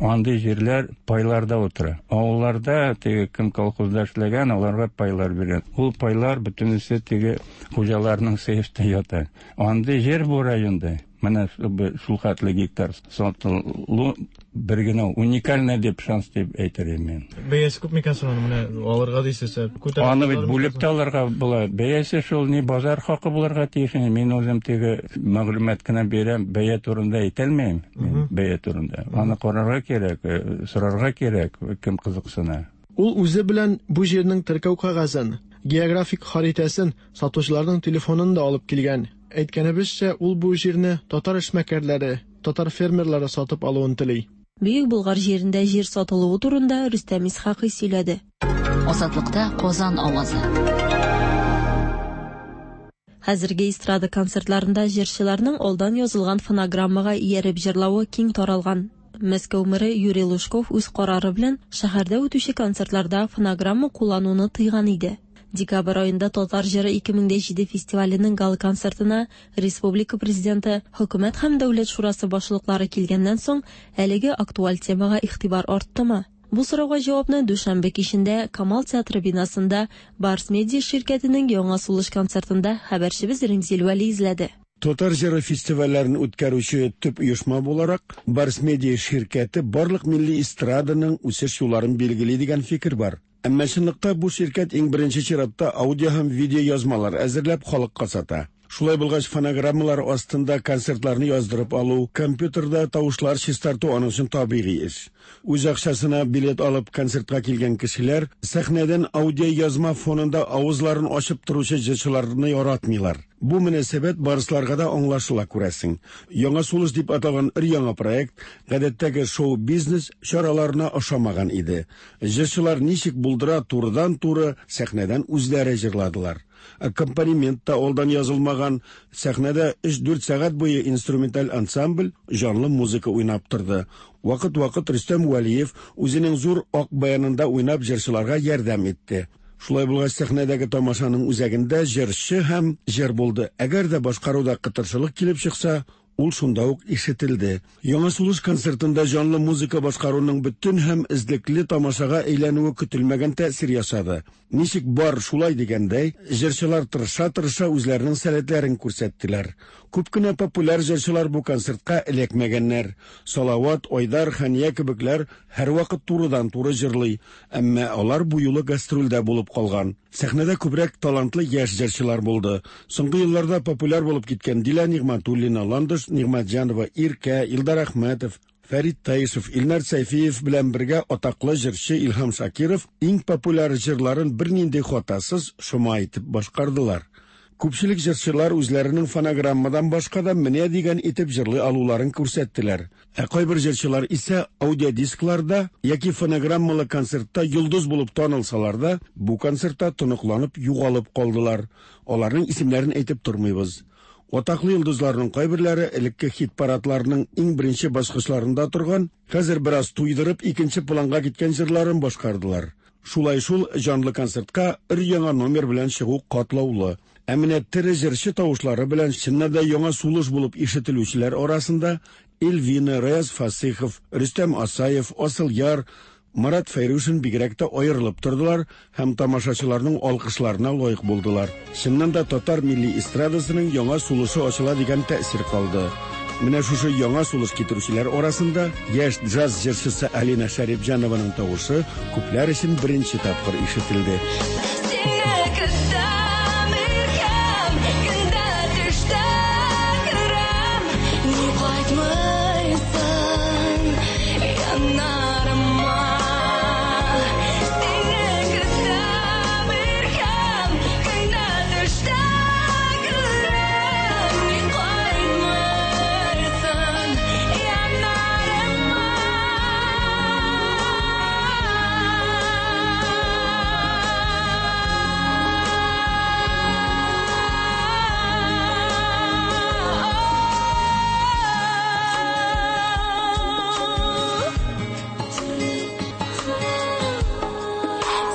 [SPEAKER 25] андый җирләр пайларда утыра. Авылларда теге кем колхозда эшләгән, аларга пайлар биргән. Ул пайлар бөтенесе теге хуҗаларның сейфта ята. Андый җир бу районда. Менә шул хәтле гектар сатылу бер генә уникальный дип шанс дип әйтер идем мин.
[SPEAKER 8] Бәясе күп микән соң аны менә алырга дисез?
[SPEAKER 25] Күтәреп Аны бит бүлеп тә алырга була. Бәясе шул ни базар хакы булырга тиеш. Мин үзем теге мәгълүмат кына бирәм, бәя турында әйтә алмыйм. Мин бәя турында. Аны карарга кирәк, сорарга кирәк, кем кызыксына.
[SPEAKER 8] Ул үзе белән бу җирнең теркәү кәгазен, географик харитәсен, сатучыларның телефонын да алып килгән. Әйткәнебезчә, ул бу җирне татар эшмәкәрләре, татар фермерлары сатып алуын тели.
[SPEAKER 12] Бөек Болгар җирендә җир сатылуы турында Рөстәм Исхакый сөйләде.
[SPEAKER 6] Азатлыкта Казан авазы.
[SPEAKER 12] Хәзерге эстрада концертларында җырчыларның алдан язылган фонограммага ияреп җырлавы киң таралган. Мәскәү мэры Юрий Лужков үз карары белән шәһәрдә үтүче концертларда фонограмма куллануны тыйган иде. Декабрь аенда Татар җыры 2007 фестиваленең гала-концертына республика Президенты, Хөкүмәт һәм Дәүләт шурасы башлыклары килгәннән соң, әлеге актуаль темага игътибар арттымы? Бу сорауга җавапны дүшәмбе кичендә Камал театры бинасында Барс Медиа ширкәтенең Яңа сулыш концертында хәбәрчебез Римзил Вәли эзләде.
[SPEAKER 1] Татар җыры фестивальләрен үткәрүче төп оешма буларак, Барс Медиа ширкәте барлык милли эстраданың үсеш юлларын билгели дигән фикер бар. Әмма чынлыкта бу ширкәт иң беренче чиратта аудио һәм видеоязмалар әзерләп халыкка сата. Шулай булгач, фонограммалар астында концертларны яздырып алу, компьютерда тавышлар чистарту аның өчен табигый эш. Үз акчасына билет алып концертка килгән кешеләр сәхнәдән аудиоязма фонында авызларын ачып торучы җырчыларны яратмыйлар. Бу мөнәсәбәт барысларга да аңлашыла, күрәсең. Яңа сулыш дип аталган өр-яңа проект гадәттәге шоу-бизнес чараларына ошамаган иде. Җырчылар ничек булдыра турыдан-туры сәхнәдән үзләре җырладылар. Аккомпанемент та алдан язылмаган, сәхнәдә өч-дүрт сәгать буе инструменталь ансамбль җанлы музыка уйнап торды. Вакыт-вакыт Рөстәм Вәлиев үзенең зур ак баянында уйнап җырчыларга ярдәм итте. Шулай булгач, сәхнәдәге тамашаның үзәгендә җырчы һәм җыр булды. Әгәр дә башкаруда кытыршылык килеп чыкса, ул шунда ук ишетелде. Яңа сулыш концертында җанлы музыка башкаруның бөтен һәм эзлекле тамашага әйләнүе көтелмәгән тәэсир ясады. Ничек бар, шулай дигәндәй, җырчылар тырыша-тырыша үзләренең сәләтләрен күрсәттеләр. Күп кенә популяр җырчылар бу концертка эләкмәгәннәр. Салават, Айдар, Хәния кебекләр һәрвакыт турыдан-туры җырлый, әмма алар бу юлы гастрольдә булып калган. Сәхнәдә күбрәк талантлы яшь җырчылар булды. Соңгы елларда популяр булып киткән Дилә Нигъмәтуллина, Ландыш Нигъмәтҗанова, Иркә, Илдар Әхмәтов, Фәрит Таишев, Илнар Сәйфиев белән бергә атаклы җырчы Илһам Шакиров иң популяр җырларын бернинди хатасыз шома итеп башкардылар. Күпчелек җырчылар үзләренең фонограммадан башка да менә дигән итеп җырлый алуларын күрсәттеләр. Ә кайбер җырчылар исә аудиодискларда яки фонограммалы концертта йолдыз булып танылсалар да, бу концертта тоныкланып югалып калдылар. Аларның исемнәрен әйтеп тормыйбыз. Атаклы йолдызларның кайберләре элекке хит-парадларның иң беренче баскычларында торган, хәзер бераз туйдырып икенче планга киткән җырларын башкардылар. Шулай шул җанлы концертка өр-яңа номер белән чыгу катлаулы. Ә менә тере җырчы тавышлары белән чыннан да яңа сулыш булып ишетелүчеләр арасында Эльвина, Раяз Фасыйхов, Рөстәм Асаев, Асылъяр, Марат Фәйрушин бигрәк тә аерылып тордылар һәм тамашачыларның алкышларына лаек булдылар. Чыннан да татар милли эстрадасының яңа сулышы ачыла дигән тәэсир калды. Менә шушы яңа сулыш китерүчеләр арасында яшь джаз җырчысы Алина Шәрипҗанованың тавышы күпләр өчен беренче тапкыр ишетелде.
[SPEAKER 7] Сине көтәм иркәм, көндә төштә күрәм, ни кайтмыйсың яннарыма. Сине көтәм иркәм, көндә төштә күрәм, ни кайтмыйсың яннарыма.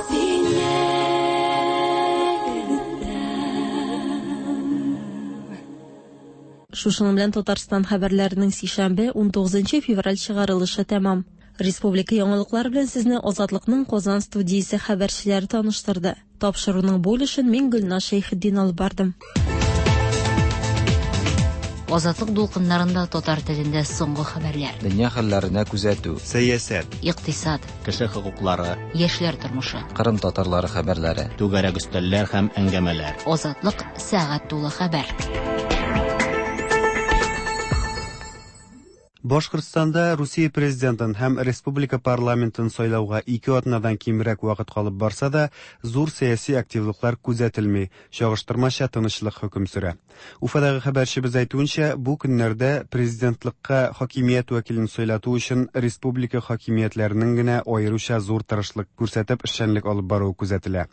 [SPEAKER 7] Сине
[SPEAKER 12] Шушының белән Татарстан хәбәрләренең сишәмбе, 19 февраль чыгарылышы тәмам. Республика яңалыклары белән сезне Азатлыкның Казан студиясе хәбәрчеләре таныштырды. Тапшыруның бу өлешен мин Гөлназ Шәйхетдин алып бардым.
[SPEAKER 6] Азатлык дулкыннарында татар телендә соңгы хәбәрләр.
[SPEAKER 9] Дөнья хәлләренә күзәтү.
[SPEAKER 2] Сәясәт.
[SPEAKER 6] Икътисад.
[SPEAKER 10] Кеше хокуклары.
[SPEAKER 6] Яшьләр тормышы.
[SPEAKER 9] Кырым татарлары хәбәрләре.
[SPEAKER 10] Түгәрәк өстәлләр һәм әңгәмәләр.
[SPEAKER 6] Азатлык сәгать тулы хәбәр.
[SPEAKER 2] Башкортстанда Русия президентын һәм республика парламентын сайлауга ике атнадан кимрәк вакыт калып барса да, зур сәяси активлыклар күзәтелми, чагыштырмача тынычлык хөкем сөрә. Уфадагы хәбәрчебез әйтүенчә, бу көннәрдә президентлыкка хакимият вәкилен сайлату өчен республика хакимиятләренең генә аеруча зур тырышлык күрсәтеп эшчәнлек алып баруы күзәтелә.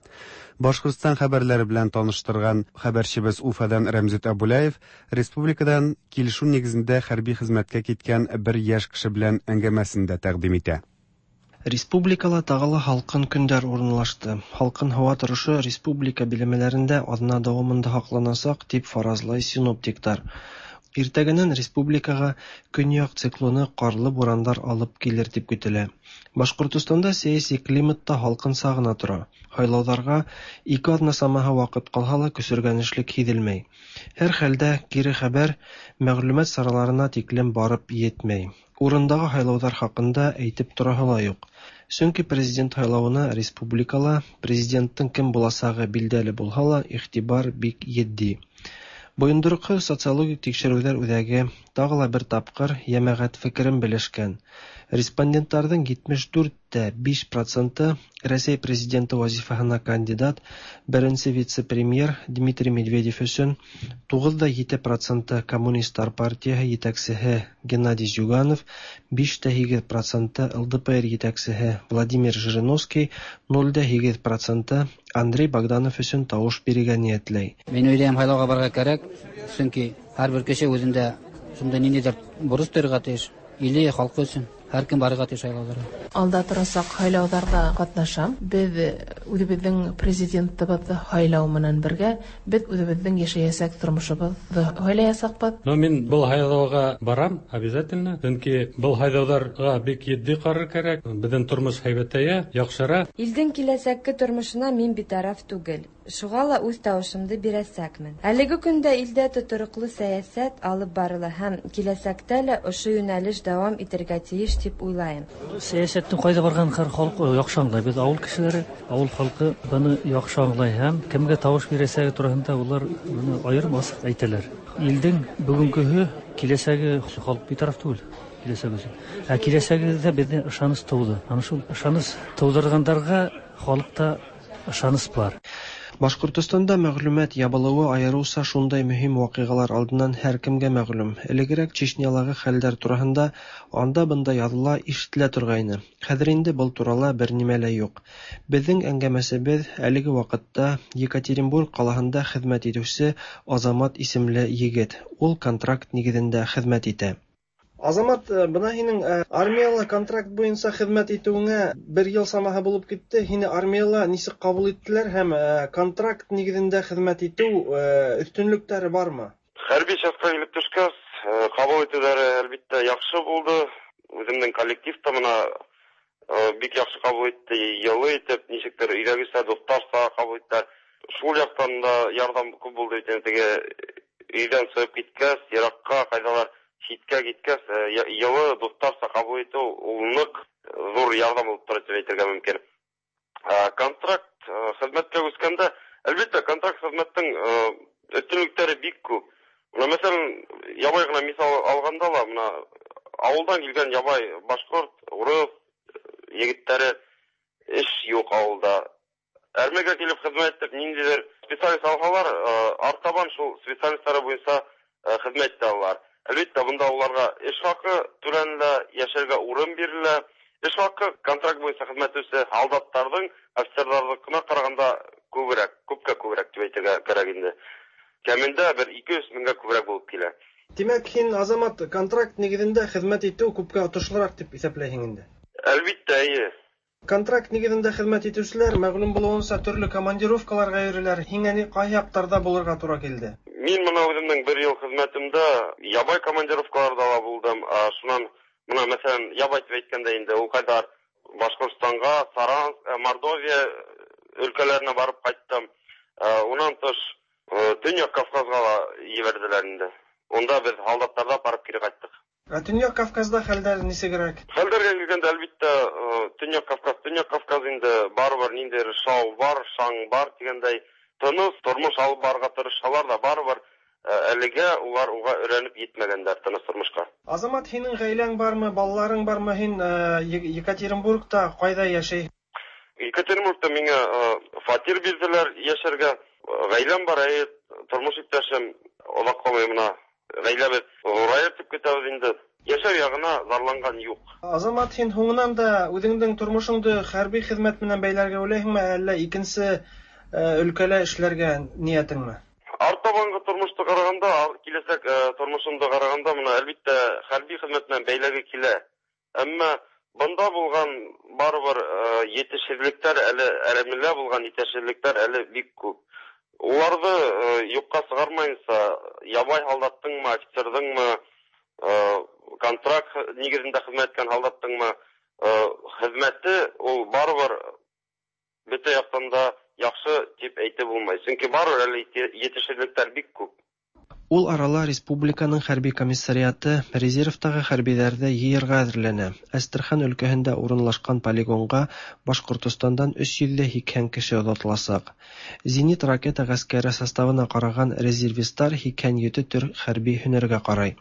[SPEAKER 2] Башкортстан хәбәрләре белән таныштырган хәбәрчебез Уфадан Рәмзит Абулаев республикадан килешү нигезендә хәрби хезмәткә киткән бер яшь кеше белән әңгәмәсен дә тәкъдим итә.
[SPEAKER 11] Республикала тагы ла һалкын көндәр урынлашты. Һалкын һава торышы республика биләмәләрендә атна дәвамында һакланачак, дип фаразлый синоптиклар. Иртәгәннән республикага көньяк циклоны карлы бураннар алып килер дип көтелә. Башкортостанда сәяси климат та һалкынча гына тора. Һайлауларга ике атна самаһы вакыт калһа ла көсөргәнешлек һиҙелмәй. Һәрхәлдә, кире хәбәр мәгълүмат сараларына тиклем барып етмәй. Урындагы һайлауҙар хаҡында әйтеп тораһы ла юҡ. Сөнки президент һайлауына республикала президенттың кем буласағы билдәле булһа ла, иғтибар бик етди. Бойондороҡһоҙ социологик тикшереүҙәр үҙәге тағы ла бер тапҡыр йәмәғәт фекерен белешкән. Респонденттарҙың 74,5 проценты Рәсәй президенты вазифаһына кандидат беренсе вице-премьер Дмитрий Медведев өсөн, 9,7 проценты Коммунисттар партияһы етәксеһе Геннадий Зюганов, 5,8 проценты ЛДПР етәксеһе Владимир Жириновский, 0,8 проценты Андрей Богданов өсөн тауыш бирергә ниәтләй.
[SPEAKER 13] Мин уйлайым, һайлауға барырға кәрәк, сөнки һәрбер кеше үзендә шундай ниндәйҙер бурыс тойорға тейеш, иле, халҡы өсөн. Һәркем барырға тейеш һайлауҙарға.
[SPEAKER 14] Алда торасаҡ һайлауҙарҙа ҡатнашам. Беҙ үҙебеҙҙең президентыбыҙҙы һайлау менән бергә беҙ үҙебеҙҙең йәшәйәсәк тормошобоҙҙо һайлаясаҡбыҙ.
[SPEAKER 15] Но мин был һайлауға барам обязательно, сөнки был һайлауҙарға бик етди ҡарар кәрәк. Беҙҙең тормош һәйбәтәйә, яҡшыра.
[SPEAKER 16] Илдең киләсәкке тормошона мин битараф түгел. Шуға ла үҙ тауышымды бирәсәкмен. Әлеге көндә илдә тотороҡло сәйәсәт алып барыла һәм киләсәктә лә ошо йүнәлеш дауам итергә тейеш тип уйлайым.
[SPEAKER 26] Сәйәсәттең ҡайҙа барғанын һәр халыҡ яҡшы аңлай. Беҙ ауыл кешеләре, ауыл халҡы быны яҡшы аңлай һәм кемгә тауыш бирәсәге тураһында улар быны айырым асыҡ әйтәләр. Илдең бөгөнгөһө, киләсәге халыҡ битараф түгел. Киләсәге өсөн. Ә киләсәгебеҙҙә беҙҙә ышаныс тыуҙы. Ана шул ышаныс тыуҙырғандарға халыҡта ышаныс бар.
[SPEAKER 11] Башҡортостанда мәғлүмәт ябылыуы айырыуса шундай мөһим ваҡиғалар алдынан һәр кемгә мәғлүм. Элегерәк Чечнялағы хәлдәр тураһында анда-бында яҙыла, ишетелә торғайны. Хәҙер инде был турала бер нимә лә юҡ. Беҙҙең әңгәмәсебеҙ әлеге ваҡытта Екатеринбург ҡалаһында хеҙмәт итеүсе Азамат исемле егет. Ул контракт нигеҙендә хеҙмәт итә. Азамат, бына һинең армияла контракт буйынса хеҙмәт итеүеңә бер йыл самаһы булып китте. Һине армияла нисек ҡабул иттеләр һәм контракт нигеҙендә хеҙмәт итеү өҫтөнлөктәре бармы?
[SPEAKER 27] Хәрби частьҡа килеп төшкәс, ҡабул итеүҙәре әлбиттә яҡшы булды. Үҙемдең коллектив та бына бик яҡшы ҡабул итте, йылы итеп, нисектер өйҙәгесә, дуҫтарса ҡабул иттеләр. Шул яҡтан да ярҙам күп булды бит инде, теге өйҙән сығып киткәс, йыраҡҡа, ҡайҙалар ситкә киткәс, йылы дуҫтарса ҡабул итеү ул ныҡ ҙур ярҙам булып тора тип әйтергә мөмкин. Контракт хеҙмәткә күскәндә, әлбиттә, контракт хеҙмәттең өҫтөнлөктәре бик күп. Бына, мәҫәлән, ябай ғына миҫал алғанда ла, бына ауылдан килгән ябай башҡорт, урыҫ егеттәре эш юҡ ауылда. Әрмегә килеп хеҙмәт итеп, ниндәйҙер специалист алһалар, артабан шул специалисттары буйынса хеҙмәт итә алалар. Әлбиттә, бында уларға эш хаҡы түләнелә, йәшәргә урын бирелә. Эш хаҡы контракт буйынса хеҙмәт итеүсе һалдаттарҙың, офицерҙарҙыҡына ҡарағанда күберәк, күпкә күберәк тип әйтергә кәрәк инде. Кәмендә бер 200 меңгә күберәк булып килә.
[SPEAKER 11] Тимәк, һин, Азамат, контракт нигеҙендә хеҙмәт итеү күпкә отошлораҡ тип иҫәпләйһең инде?
[SPEAKER 27] Әлбиттә, эйе.
[SPEAKER 11] Контракт нигеҙендә хеҙмәт итеүселәр, мәғлүм булыуынса, төрлө командировкаларға йөрөйләр. Һиңә ни ҡайһы яҡтарҙа булырға тура килде?
[SPEAKER 27] Мин бына үҙемдең бер йыл хеҙмәтемдә ябай командировкаларҙа ла булдым. Шунан бына, мәҫәлән, ябай тип әйткәндә инде, ул ҡайҙар Башҡортостанға, Саранск, Мордовия өлкәләренә барып ҡайттым. Унан тыш Төньяҡ Кавказға ла ебәрҙеләр инде. Унда беҙ һалдаттарҙа барып кире ҡайттыҡ.
[SPEAKER 11] Ә Төньяҡ Кавказда хәлдәр нисегерәк?
[SPEAKER 27] Хәлдәргә килгәндә, әлбиттә, Төньяҡ Кавказ инде барыбер ниндәйҙер шау бар, шаң бар тигәндәй, тыныс тормош алып барырға тырышһалар ҙа, барыбер әлегә улар уға өйрәнеп етмәгәндәр тыныс тормошҡа.
[SPEAKER 11] Азамат, һинең ғаиләң бармы, балаларың бармы? Һин Екатеринбургта ҡайҙа йәшәй?
[SPEAKER 27] Екатеринбургта миңә фатир бирҙеләр йәшәргә. Ғаиләм бар, әйе, тормош иптәшем оҙаҡ ҡалмай бына. Ғаиләбеҙ ҙурайыр тип көтәбеҙ инде. Йәшәү яғына зарланған юҡ.
[SPEAKER 11] Азамат, һин һуңынан да үҙеңдең тормошоңдо хәрби хеҙмәт менән бәйләргә уйлайһыңмы, әллә икенсе өлкәлә эшләргә ниәтеңме?
[SPEAKER 27] Артабанғы тормошто ҡарағанда, киләсәк тормошомдо ҡарағанда, бына әлбиттә хәрби хеҙмәт менән бәйләге килә. Әммә Бында булган барыбер җитешсезлекләр әле, әрәмәлә булган җитешсезлекләр әле бик күп. Уларны юкка чыгармаенча, ябай солдаттыңмы, офицердыңмы, контракт нигезендә хезмәт иткән солдаттыңмы, хезмәте ул барыбер бөтә яктан да яхшы дип әйтеп булмый. Чөнки барыбер әле җитешсезлекләр бик күп.
[SPEAKER 11] Ул арала республиканың хәрби комиссариаты резервтагы хәрбиләрне йыярга әзерләнә. Әстерхан өлкәһендә урынлашкан полигонга Башкортостандан 380 кеше озатылачак. Зенит ракета гаскәре составына караган резервистлар 87 төр хәрби һөнәргә карый.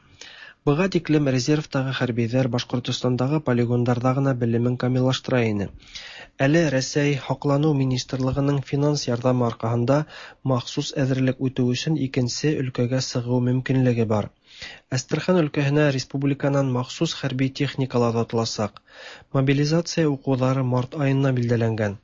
[SPEAKER 11] Быга тиклем резервтагы хәрбиләр Башкортостандагы полигоннарда гына белемен камиллаштыра иде. Әле Рәсәй Һаклану министрлыгының финанс ярдәме аркаһында махсус әзерлек үтү өчен икенче өлкәгә сыгу мөмкинлеге бар. Әстерхан өлкәһенә республиканан махсус хәрби техникалар озатылачак. Мобилизация укулары март аена билгеләнгән.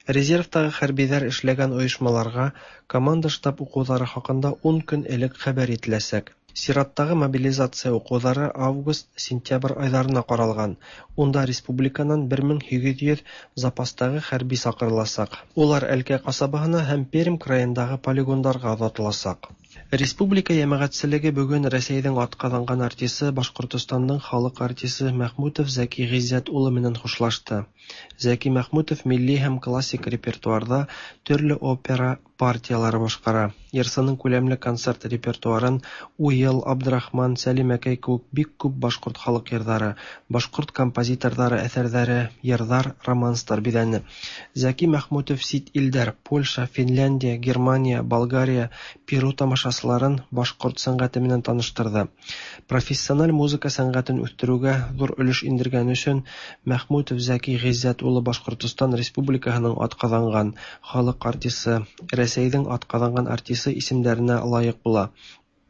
[SPEAKER 11] Резервтагы хәрбиләр эшләгән оешмаларга команда-штаб укулары хакында 10 көн элек хәбәр ителәчәк. Чираттагы мобилизация укулары август-сентябрь айларына каралган. Унда республиканан 1800 запастагы хәрби чакырылачак. Улар Әлкә касабаһына һәм Пермь краендагы полигондарга озатылачак. Республика җәмәгатьчелеге бүген Рәсәйнең атказанган артисты, Башкортостанның халык артисты Мәхмүтов Зәки Гыйззәт улы менән хушлашты. Зәки Мәхмүтов милли һәм классик репертуарда төрле опера партияләре башкара. Йырсының күләмле концерт репертуарын Уел, Абдрахман, Сәлимәкәй кебек бик күп башкорт халык йырлары, башкорт композиторлары әсәрләре, йырлар, романслар биләне. Зәки Мәхмүтов чит илдәр Польша, Финляндия, Германия, Болгария, Перу тамашачыларын башкорт сәнгате менән таныштырды. Профессиональ музыка сәнгатен үстерүгә зур өлеш индергән өчен Мәхмүтов Зәки Гыйззәт улы Башкортостан Республикаһының атказанган халык артисты, Рәсәйнең атказанган артисты исемнәренә лаек була.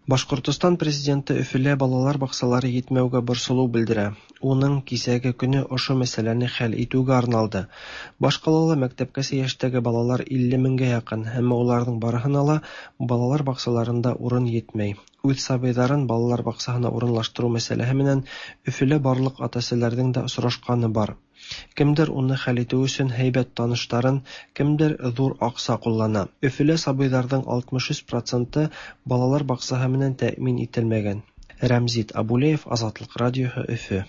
[SPEAKER 11] Башкортостан президенты Өфөлә балалар бакчалары җитмәүгә борчылу белдерә. Уның кисәге көне ошо мәсьәләне хәл итүгә арналды. Башкалала мәктәпкәчә яшьтәге балалар 50 меңгә якын, әмма уларның барыһына ла балалар бакчаларында урын җитмәй. Үз сабыйларын балалар бакчаһына урынлаштыру мәсьәләһе менән Өфөлә барлык ата-әсәләрнең дә очрашканы бар. Кемдер уны хәл итү өчен һәйбәт таныштарын, кемдер зур акча куллана. Өфөлә сабыйларның 63 проценты балалар бакчаһы менән тәэмин ителмәгән. Рәмзит Абулеев, Азатлык радиоһы, Өфө.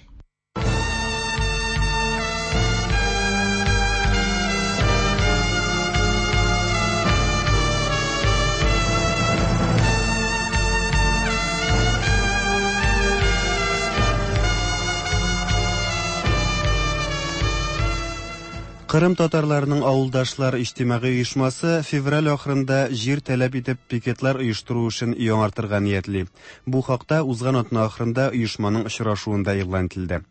[SPEAKER 2] Кырым татарларының авылдашлар иҗтимагый оешмасы февраль ахырында җир таләп итеп пикетлар оештыру эшен яңартырга ниятли. Бу хакта узган атна ахырында оешманың очрашуында игълан ителде.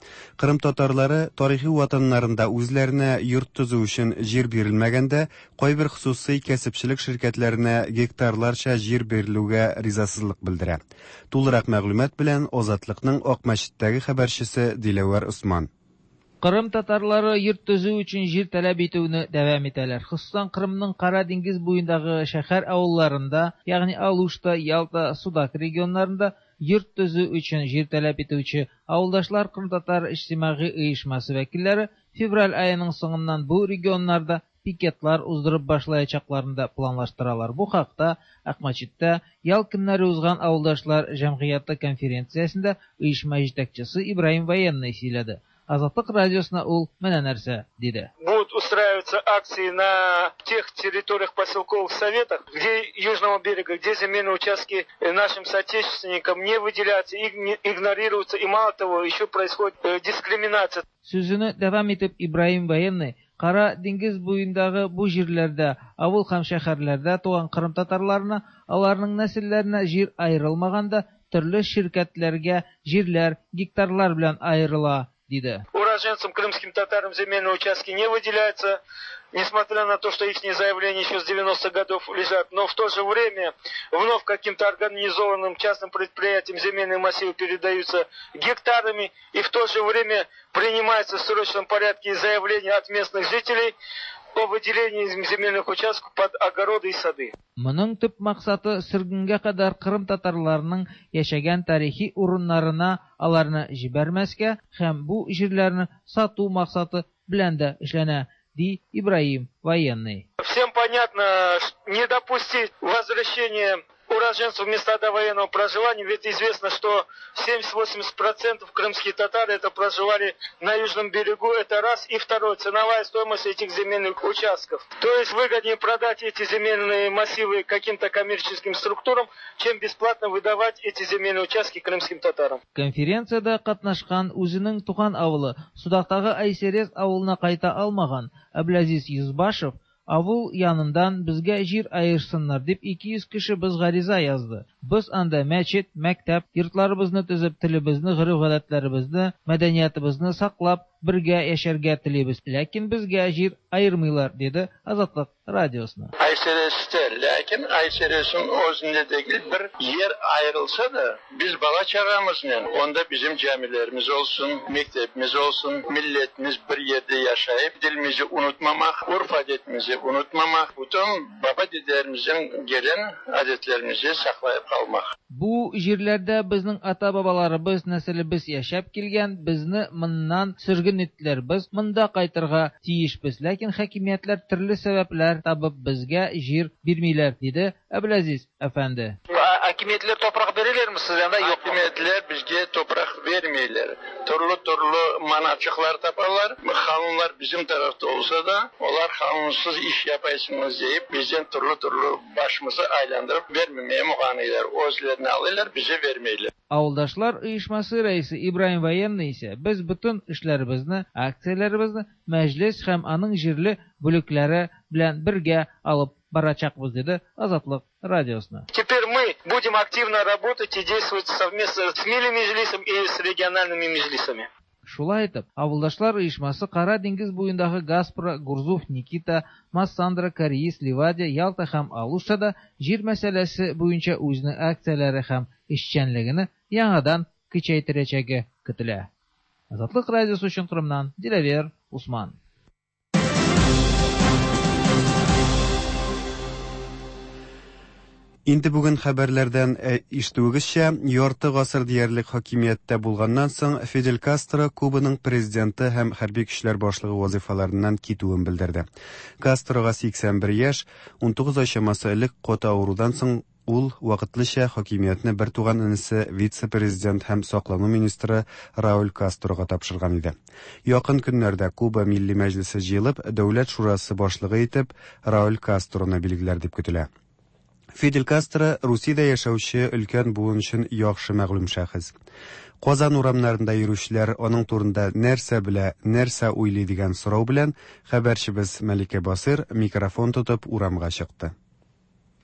[SPEAKER 2] Кырым татарлары тарихи ватаннарында үзләренә йорт төзү өчен җир бирелмәгәндә, кайбер хосусый кәсепчелек ширкәтләренә гектарларча җир бирелүгә ризасызлык белдерә. Тулырак мәгълүмат белән Азатлыкның Акмәчеттәге хәбәрчесе Диләвәр Осман.
[SPEAKER 17] Кырым татарлары йорт төзү өчен җир таләп итүне дәвам итәләр. Хосусан Кырымның Кара диңгез буендагы шәһәр авылларында, ягъни Алушта, Ялта, Судак регионнарында йорт төзү өчен җир таләп итүче авылдашлар Кырым татар иҗтимагый оешмасы вәкилләре февраль аеның соңыннан бу регионнарда пикетлар уздырып башлаячакларын да планлаштыралар. Бу хакта Акмәчеттә ял көннәре узган авылдашлар җәмгыяте конференциясендә оешма җитәкчесе Ибраһим Военный сөйләде. Азатлык радиосына ул менә нәрсә диде.
[SPEAKER 18] Будут устраиваться акции на тех территориях поселковых советах, где Южного берега, где земельные участки нашим соотечественникам не выделяются, игнорируются, и мало того, еще происходит дискриминация.
[SPEAKER 17] Сүзене дәвам итеп Ибраһим Военный Кара диңгез буендагы бу җирләрдә, авыл һәм шәһәрләрдә туган кырым татарларына, аларның нәселләренә җир аерылмаганда, төрле ширкәтләргә җирләр гектарлар белән аерыла, диде.
[SPEAKER 18] Уроженцам крымским татарам земельные участки не выделяются, несмотря на то, что их заявления еще с 90-х годов лежат. Но в то же время вновь каким-то организованным частным предприятиям земельные массивы передаются гектарами, и в то же время принимается в срочном порядке заявления от местных жителей о выделении земельных участков под огороды и сады.
[SPEAKER 17] Моның төп максаты сөргенгә кадәр Кырым татарларының яшәгән тарихи урыннарына аларны җибәрмәскә һәм бу җирләрне сату максаты белән дә эшләнә, ди Ибраһим Военный.
[SPEAKER 18] Всем понятно, не допустить возвращения уроженцев в места довоенного проживания, ведь известно, что 70-80% крымские татары это проживали на южном берегу, это раз. И второе, ценовая стоимость этих земельных участков. То есть выгоднее продать эти земельные массивы каким-то коммерческим структурам, чем бесплатно выдавать эти земельные участки крымским татарам.
[SPEAKER 17] Конференциядә катнашкан үзенең туган авылы Судактагы Айсерез авылына кайта алмаган Әбләзиз Йөзбашев Авыл яныннан безгә җир аерсыннар дип 200 кеше без гариза язды. Без анда мәчет, мәктәп, йортларыбызны төзеп, телебезне, гореф-гадәтләребезне, мәдәниятыбызны саклап, бергә яшәргә телибез. Ләкин безгә җир аермыйлар, диде Азатлык радиосына.
[SPEAKER 3] Айсересте, ләкин Айсересин özünde degil bir yer ayrılsa da biz bala çağamızla onda bizim camilerimiz olsun, mektebimiz olsun, milletimiz bir yerde yaşayıp dilimizi unutmamak, urf adetimizi unutmamak, bütün baba dedelerimizin gelen adetlerimizi saklayıp kalmak.
[SPEAKER 17] Бу җирләрдә безнең ата-бабаларыбыз, нәселебез яшәп килгән, безне моннан сөрген иттеләр. Без монда кайтырга тиешбез, ләкин хакимиятләр төрле сәбәпләр табып безгә җир бирмиләр, диде Әбләзиз әфәнде.
[SPEAKER 18] Акимиятләр топрак бирәләрме сезгә анда? Юк.
[SPEAKER 3] Акимиятләр безгә топрак бермиләр. Төрле-төрле маначыклар тапалар. Канунлар безнең тарафта olsa da, olar kanunsuz iş yapaysınız deyip bizden türlü-türlü başımızı aylandırıp vermemeye muğanıylar. Özlerini alırlar, bize vermeyler.
[SPEAKER 17] Авылдашлар оешмасы рәисе Ибраһим Военный исә без бөтен эшләребезне, акцияләребезне мәҗлес һәм аның җирле бүлекләре белән бергә алып барачакбыз, диде Азатлык радиосына.
[SPEAKER 18] Теперь мы будем активно работать и действовать совместно с Милли Меджлисом и с региональными меджлисами.
[SPEAKER 17] Шулай итеп, авылдашлар оешмасы Кара диңгез буендагы Гаспра, Гурзуф, Никита, Массандра, Кариис, Ливадия, Ялта һәм Алуштада җир мәсьәләсе буенча үзенең акцияләре һәм эшчәнлегене яңадан көчәйттерәчәге көтелә. Азатлык радиосы өчен Кырымнан Диләвер Усман.
[SPEAKER 2] Инде бүген хәбәрләрдән ишетүегезчә, ярты гасыр диярлек хакимияттә булганнан соң Фидель Кастро Кубаның президенты һәм хәрби көчләр башлыгы вазифаларыннан китүен белдерде. Кастрога 81 яшь, 19 ай чамасы элек каты авырудан соң ул вакытлыча хакимиятне бертуган энесе вице-президент һәм саклану министры Рауль Кастрога тапшырган иде. Якын көннәрдә Куба Милли Мәҗлесе җыелып, Дәүләт шурасы башлыгы итеп Рауль Кастроны билгеләр дип көтелә. Фидель Кастро Русиядә яшәүче өлкән буын өчен яхшы мәгълүм шәхес. Казан урамнарында йөрүчеләр аның турында нәрсә белә, нәрсә уйлый дигән сорау белән хәбәрчебез Мәликә Басыр микрофон тотып урамга чыкты.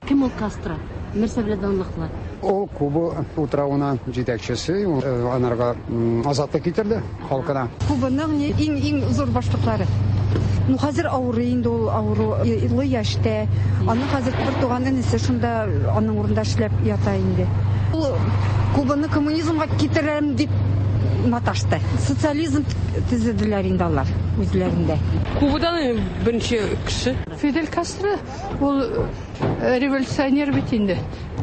[SPEAKER 4] Кем ул Кастро? Нәрсә белән данлыклы?
[SPEAKER 19] Ул Куба утравына җитәкчесе, анарга азатлык китерде халкына.
[SPEAKER 20] Кубаның иң-иң зур башлыклары. Ну, хәзер авырый инде ул, авыру илле яшьтә. Аның хәзер бер туган энесе шунда аның урында эшләп ята инде. Ул Кубаны коммунизмга китерәм дип маташты. Социализм төзеделәр инде алар үзләрендә.
[SPEAKER 22] Кубадан беренче кеше.
[SPEAKER 23] Фидель Кастро ул революционер бит инде.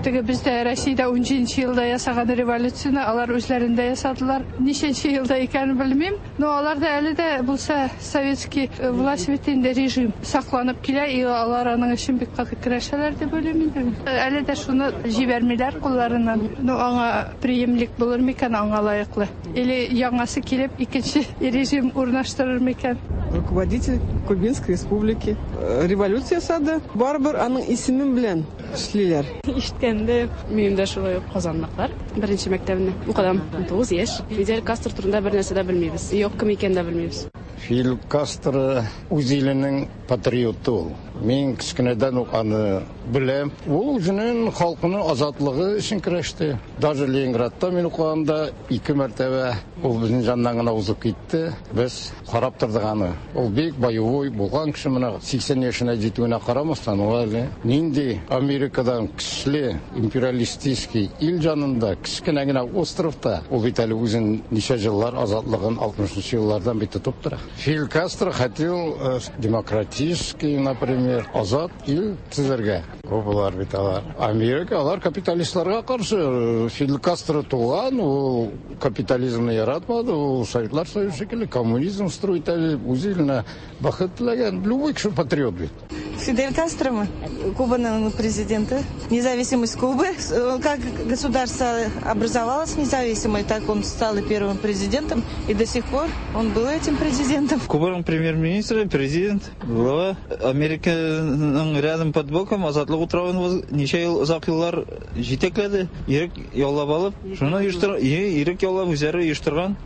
[SPEAKER 23] Теге бездә Россиядә 17 елда ясаган революцияне алар үзләрендә ясадылар. Ничәнче елда икәнен белмим, но алар да әле дә булса советский власть бит инде режим сакланып килә, и алар аның өчен бик каты көрәшәләр дип уйлыйм инде. Әле дә шуны җибәрмиләр кулларыннан. Ну, аңа преемник булыр микән, аңа лаеклы? Или яңасы килеп икенче режим урнаштырыр микән?
[SPEAKER 24] Руководитель Кубинской республики революция ясады. Барыбер аның исеме белән эшлиләр.
[SPEAKER 28] Ишеткәндә минем дә шулай ук казанлыклар. Беренче мәктәбендә укыдым. 19 яшь. Фидель Кастро турында бер нәрсә дә белмибез. Юк, кем икәнен дә белмибез.
[SPEAKER 21] Фидель Кастро үз иленең патриоты ул. Мин кечкенәдән үк аны беләм. Ул үзенең халкының азатлыгы өчен көрәште. Даже Ленинградта мин укыганда 2 мәртәбә ул безнең яннан гына узып китте. Без карап тордык аны. Ул бик боевой булган кеше, менә 80 яшенә җитүенә карамастан, ул әле нинди Америкадан көчле империалистический ил янында, кечкенә генә островта, ул бит әле үзен ничә еллар азатлыгын 60 еллардан бит тотып тора. Фидель Кастро хотел демократический Демократический, например, азат ил төзергә. Кубалар бит алар. Америка алар капиталистларга каршы. Фидель Кастро туган, ул капитализмны яратмады, ул Советлар Союзы шикелле коммунизм строить итә, үз иленә бәхет теләгән. Любой кеше патриот бит.
[SPEAKER 1] Фидель Кастро Кубаның президенты. Независимость Кубы. Как государство образовалось независимое, так он стал и первым президентом. И до сих пор он был этим президентом.
[SPEAKER 5] Кубаның премьер-министры, президент, глава Американың рядом под боком Азатлык утравын ничә ел озак еллар җитәкләде. Ирек яулап алып, шуны оештыр, ирек яулап үзләре оештырган.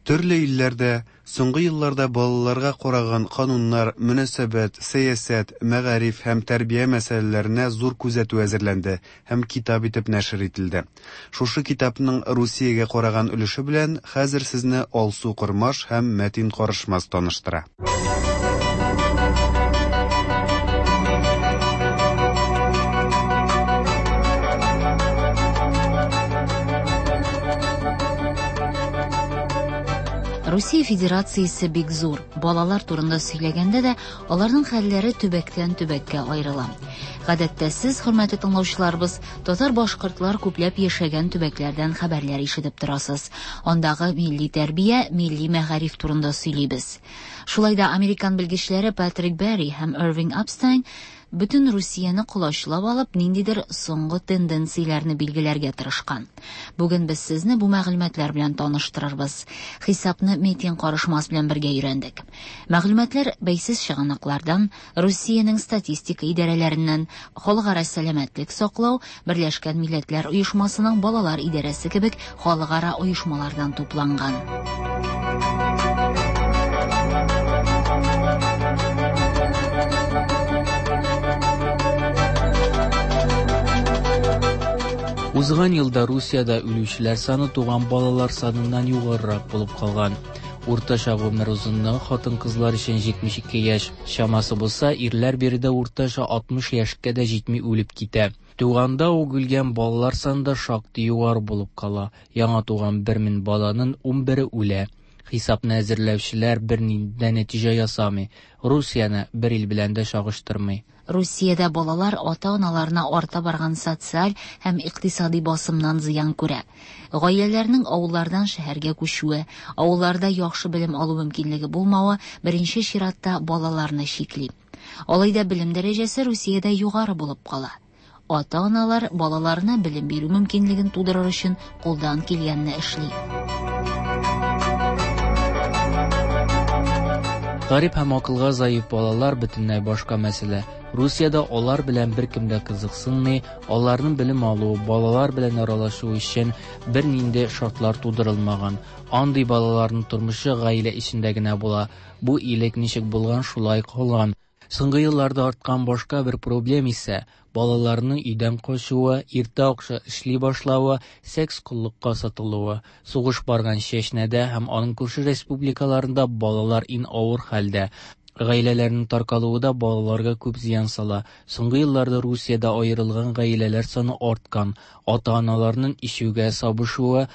[SPEAKER 2] Төрле илләрдә соңгы елларда балаларга караган кануннар, мөнәсәбәт, сәясәт, мәгариф һәм тәрбия мәсьәләләренә зур күзәтү әзерләнде һәм китап итеп нәшер ителде. Шушы китапның Русиягә караган өлеше белән хәзер сезне Алсу Кормаш һәм Мәтин Карышмас таныштыра.
[SPEAKER 6] Русия Федерациясе бик зур. Балалар турында сөйләгәндә дә аларның хәлләре төбәктән төбәккә аерыла. Гадәттә сез, хөрмәтле тыңлаучыларыбыз, татар-башкортлар күпләп яшәгән төбәкләрдән хәбәрләр ишетеп торасыз. Андагы милли тәрбия, милли мәгариф турында сөйлибез. Шулай да американ белгечләре Патрик Берри һәм Ирвинг Апстайн бөтен Русияне колачлап алып, ниндидер соңгы тенденцияләрне билгеләргә тырышкан. Бүген без сезне бу мәгълүматлар белән таныштырырбыз. Хисапны Метин Карышмас белән бергә өйрәндек. Мәгълүматлар бәйсез чыганаклардан, Русиянең статистика идарәләреннән, Халыкара сәламәтлек саклау, Берләшкән Милләтләр Оешмасының балалар идарәсе кебек халыкара оешмалардан тупланган.
[SPEAKER 7] Узган елда Русиядә үлүчеләр саны туган балалар саныннан югарырак булып калган. Уртача гомер озынлыгы хатын-кызлар өчен 72 яшь чамасы булса, ирләр биредә уртача 60 яшькә дә җитми үлеп китә. Туганда ук үлгән балалар саны да шактый югары булып кала. Яңа туган 1000 баланың 11-е үлә. Хисапны әзерләүчеләр бернинди дә нәтиҗә ясамый, Русияне бер ил белән дә чагыштырмый.
[SPEAKER 6] Русиядә балалар ата-аналарына арта барган социаль һәм икътисади басымнан зыян күрә. Гаиләләрнең авыллардан шәһәргә күчүе, авылларда яхшы белем алу мөмкинлеге булмавы беренче чиратта балаларны чикли. Алай да белем дәрәҗәсе Русиядә югары булып кала. Ата-аналар балаларына белем бирү мөмкинлеген тудырыр өчен кулдан килгәнне эшли.
[SPEAKER 7] Гарип һәм акылга заиф балалар бөтенләй башка мәсьәлә. Русиядә алар белән беркем дә кызыксынмый, аларның белем алуы, балалар белән аралашуы өчен бернинди шартлар тудырылмаган. Андый балаларның тормышы гаилә эчендә генә була. Бу элек ничек булган, шулай калган. Соңгы елларда арткан башка бер проблем исә балаларның өйдән качуы, иртә акча эшли башлавы, секс коллыкка сатылуы. Сугыш барган Чечнядә һәм аның күрше республикаларында балалар иң авыр хәлдә. Гаиләләрнең таркалуы да балаларга күп зыян сала. Соңгы елларда Русиядә аерылган гаиләләр саны арткан. Ата-аналарның ишүгә сабышуы,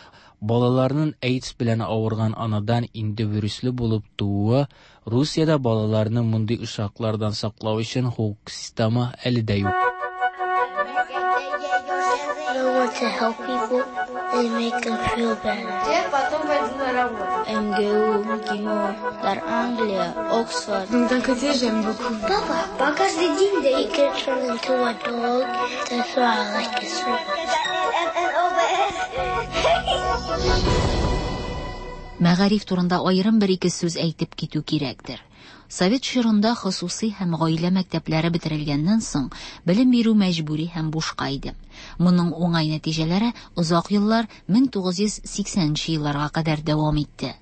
[SPEAKER 7] балаларның AIDS белән авырган анадан инде вируслы булып тууы, Русиядә балаларны мондый очраклардан саклау өчен хокук системы әле дә юк.
[SPEAKER 8] I want to help people and make them feel better.
[SPEAKER 16] Я потом пойду на работу.
[SPEAKER 8] МГУ, МГИМО, Дар Англия, Оксфорд.
[SPEAKER 16] Donc d'un côté, j'aime beaucoup.
[SPEAKER 8] Папа, по каждый день да you can turn into a dog. That's why I like this
[SPEAKER 6] Мәгариф турында аерым бер-ике сүз әйтеп китү кирәктер. Совет чорында хосусый һәм гаилә мәктәпләре бетерелгәннән соң, белем бирү мәҗбүри һәм бушка иде. Моның уңай нәтиҗәләре озак еллар 1980 нче елларга кадәр дәвам итте.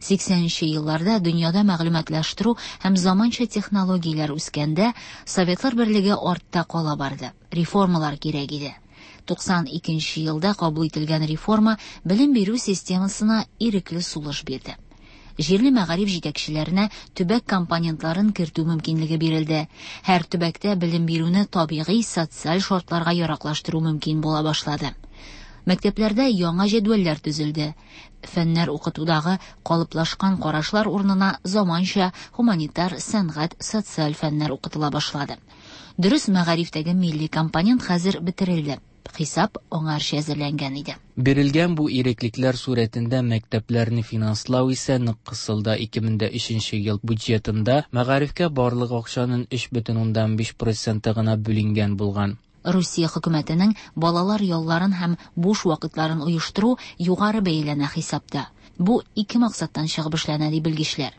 [SPEAKER 6] 80 нче елларда дөньяда мәгълүматлаштыру һәм заманча технологияләр үскәндә, Советлар Берлеге артта кала барды. Реформалар кирәк иде. 92 нче елда кабул ителгән реформа белем бирү системасына ирекле сулыш бирде. Җирле мәгариф җитәкчеләренә төбәк компонентларын кертү мөмкинлеге бирелде. Һәр төбәктә белем бирүне табигый, социаль шартларга яраклаштыру мөмкин була башлады. Мәктәпләрдә яңа җәдвәлләр төзелде. Фәннәр укытудагы калыплашкан карашлар урынына заманча һуманитар, сәнгать, социаль фәннәр укытыла башлады. Дөрес, мәгарифтәге милли компонент хәзер бетерелде. Хисап аңарчы әзерләнгән иде.
[SPEAKER 7] Бирелгән бу иреклекләр сурәтендә мәктәпләрне финанслау исә нык кысылды. 2003 ел бюджетында мәгарифкә барлык акчаның 3,5 проценты гына бүленгән булган.
[SPEAKER 6] Русия хөкүмәтенең балалар ялларын һәм буш вакытларын оештыру югары бәяләнә хисапта. Бу ике максаттан чыгып эшләнә, ди белгечләр.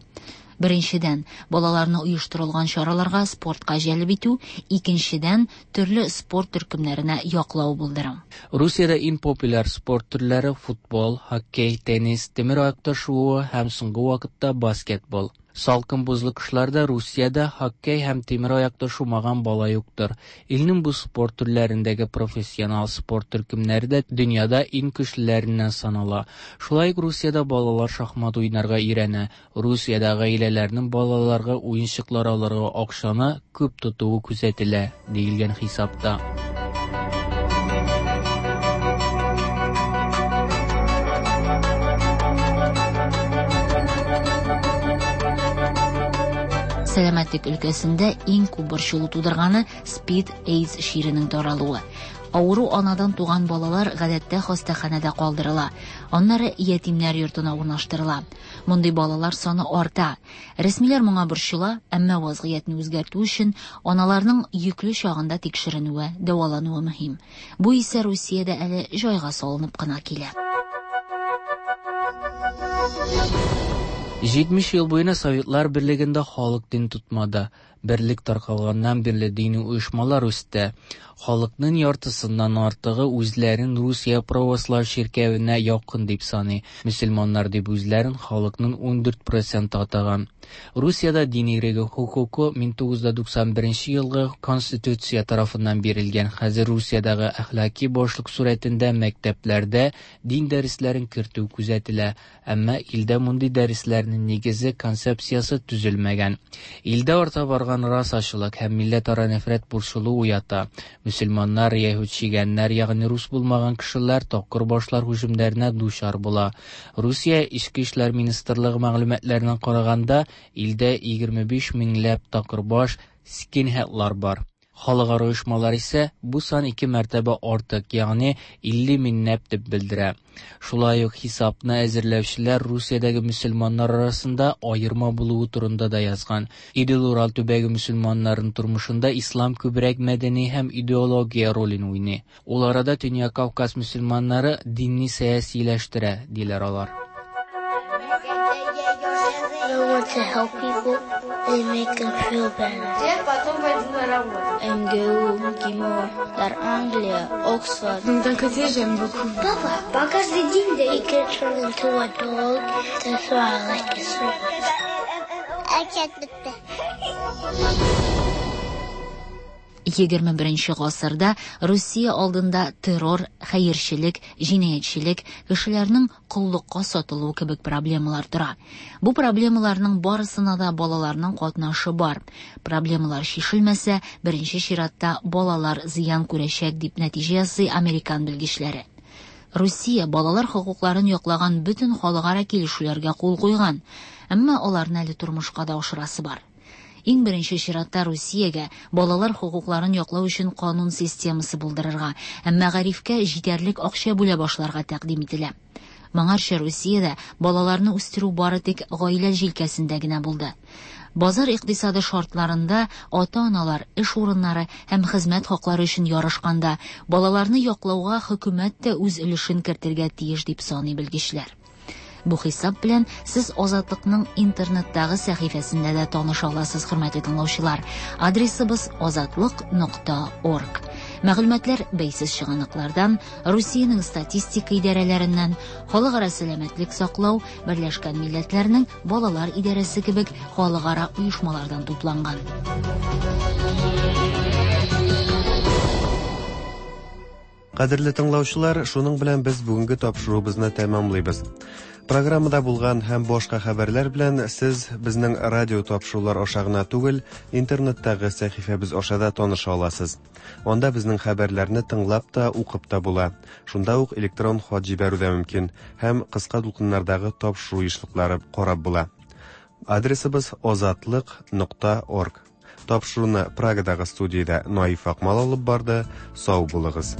[SPEAKER 6] Беренчедән, балаларны оештырылган чараларга, спортка җәлеп итү, икенчедән, төрле спорт төркемнәренә яклау булдыру.
[SPEAKER 7] Русиядә иң популяр спорт төрләре футбол, хоккей, теннис, тимер аякта шуу һәм соңгы вакытта баскетбол. Салкын бозлы кышларда Русиядә хоккей һәм тимер аякта шумаган бала юктыр. Илнең бу спорт төрләрендәге профессионал спорт төркемнәре дә дөньяда иң көчлеләреннән санала. Шулай ук Русиядә балалар шахмат уйнарга өйрәнә. Русиядә гаиләләрнең балаларга уенчыклар алырга акчаны күп тотуы күзәтелә, диелгән хисапта.
[SPEAKER 6] Сәламәтлек өлкәсендә иң күп борчылу тудырганы СПИД, AIDS чиренең таралуы. Авыру анадан туган балалар гадәттә хастаханәдә калдырыла, аннары ятимнәр йортына урнаштырыла. Мондый балалар саны арта. Рәсмиләр моңа борчыла, әмма вазгыятьне үзгәртү өчен аналарның йөкле чагында тикшеренүе, дәвалануы мөһим. Бу исә Русиядә әле җайга салынып кына килә.
[SPEAKER 7] 70 ел буена Советлар Берлегендә халык дин тотмады. Берлек таркалганнан бирле дини оешмалар үсте. Халыкның яртысыннан артыгы үзләрен Русия православ чиркәвенә якын дип саный. Мөселманнар дип үзләрен халыкның 14 проценты атаган. Русиядә дин иреге хокукы 1991 елгы Конституция тарафыннан бирелгән. Хәзер Русиядәге әхлаки башлык сурәтендә мәктәпләрдә дин дәресләрен кертү күзәтелә. Әмма илдә мондый дәресләрнең нигезе, концепциясе төзелмәгән. Илдә арта барган расачылык һәм милләтара нәфрәт борчылу уята. Мөселманнар, яһүд чигәннәр, ягъни рус булмаган кешеләр такыр башлар һөҗүмнәренә дучар була. Русия Эчке эшләр министрлыгы мәгълүматларына караганда, илдә 25 меңләп такырбаш скинхедлар бар. Халыкара оешмалар исә бу сан ике мәртәбә артык, ягъни 50 меңләп дип белдерә. Шулай ук хисапны әзерләүчеләр Русиядәге мөселманнар арасында аерма булуы турында да язган. Идел-Урал төбәге мөселманнарының тормышында ислам күбрәк мәдәни һәм идеология ролен уйный. Ул арада Төньяк Кавказ мөселманнары динне сәясиләштерә, диләр алар.
[SPEAKER 8] I want to help people and make them feel better.
[SPEAKER 9] МГУ, МГИМО, Дар Англия, Оксфорд.
[SPEAKER 16] Donc d'un côté, j'aime beaucoup.
[SPEAKER 8] Папа, по каждый день he can turn into a dog. That's why I like it so much. I can't
[SPEAKER 6] 21 гасырда Русия алдында террор, хәерчелек, җинаятьчелек, кешеләрнең коллыкка сатылуы кебек проблемалар тора. Бу проблемаларның барысына да балаларның катнашы бар. Проблемалар чишелмәсә, беренче чиратта балалар зыян күрәчәк, дип нәтиҗә ясый американ белгечләре. Русия балалар хокукларын яклаган бөтен халыкара килешүләргә кул куйган, әмма аларны әле тормышка да ашырасы бар. Иң беренче чиратта Русиягә балалар хокукларын яклау өчен канун системасы булдырырга һәм мәгарифкә җитәрлек акча бүлә башларга тәкъдим ителә. Моңарчы Русиядә балаларны үстерү бары тик гаилә җилкәсендә генә булды. Базар икътисады шартларында ата-аналар эш урыннары һәм хезмәт хаклары өчен ярышканда балаларны яклауга хөкүмәт тә үз өлешен кертергә тиеш дип саный белгечләр. Бу хисап белән сез Азатлыкның интернеттагы сәхифәсендә дә таныша аласыз, хөрмәтле тыңлаучылар. Адресыбыз azatliq.org. Мәгълүматлар бәйсез чыганаклардан, Русиянең статистика идарәләреннән, Халыкара сәламәтлек саклау, Берләшкән Милләтләрнең Балалар идарәсе кебек халыкара оешмалардан тупланган.
[SPEAKER 2] Кадерле тыңлаучылар, шуның белән без бүгенге тапшыруыбызны тәмамлыйбыз. Программада булган һәм башка хәбәрләр белән сез безнең радио тапшырулар аша гына түгел, интернеттагы сәхифәбез аша да таныша аласыз. Анда безнең хәбәрләрне тыңлап та, укып та була. Шунда ук электрон хат җибәрү дә мөмкин һәм кыска дулкыннардагы тапшыру ешлыклары карап була. Адресыбыз озатлык нокта орг. Тапшыруны Прагадагы студиядә Наиф Акмал алып барды. Сау булыгыз.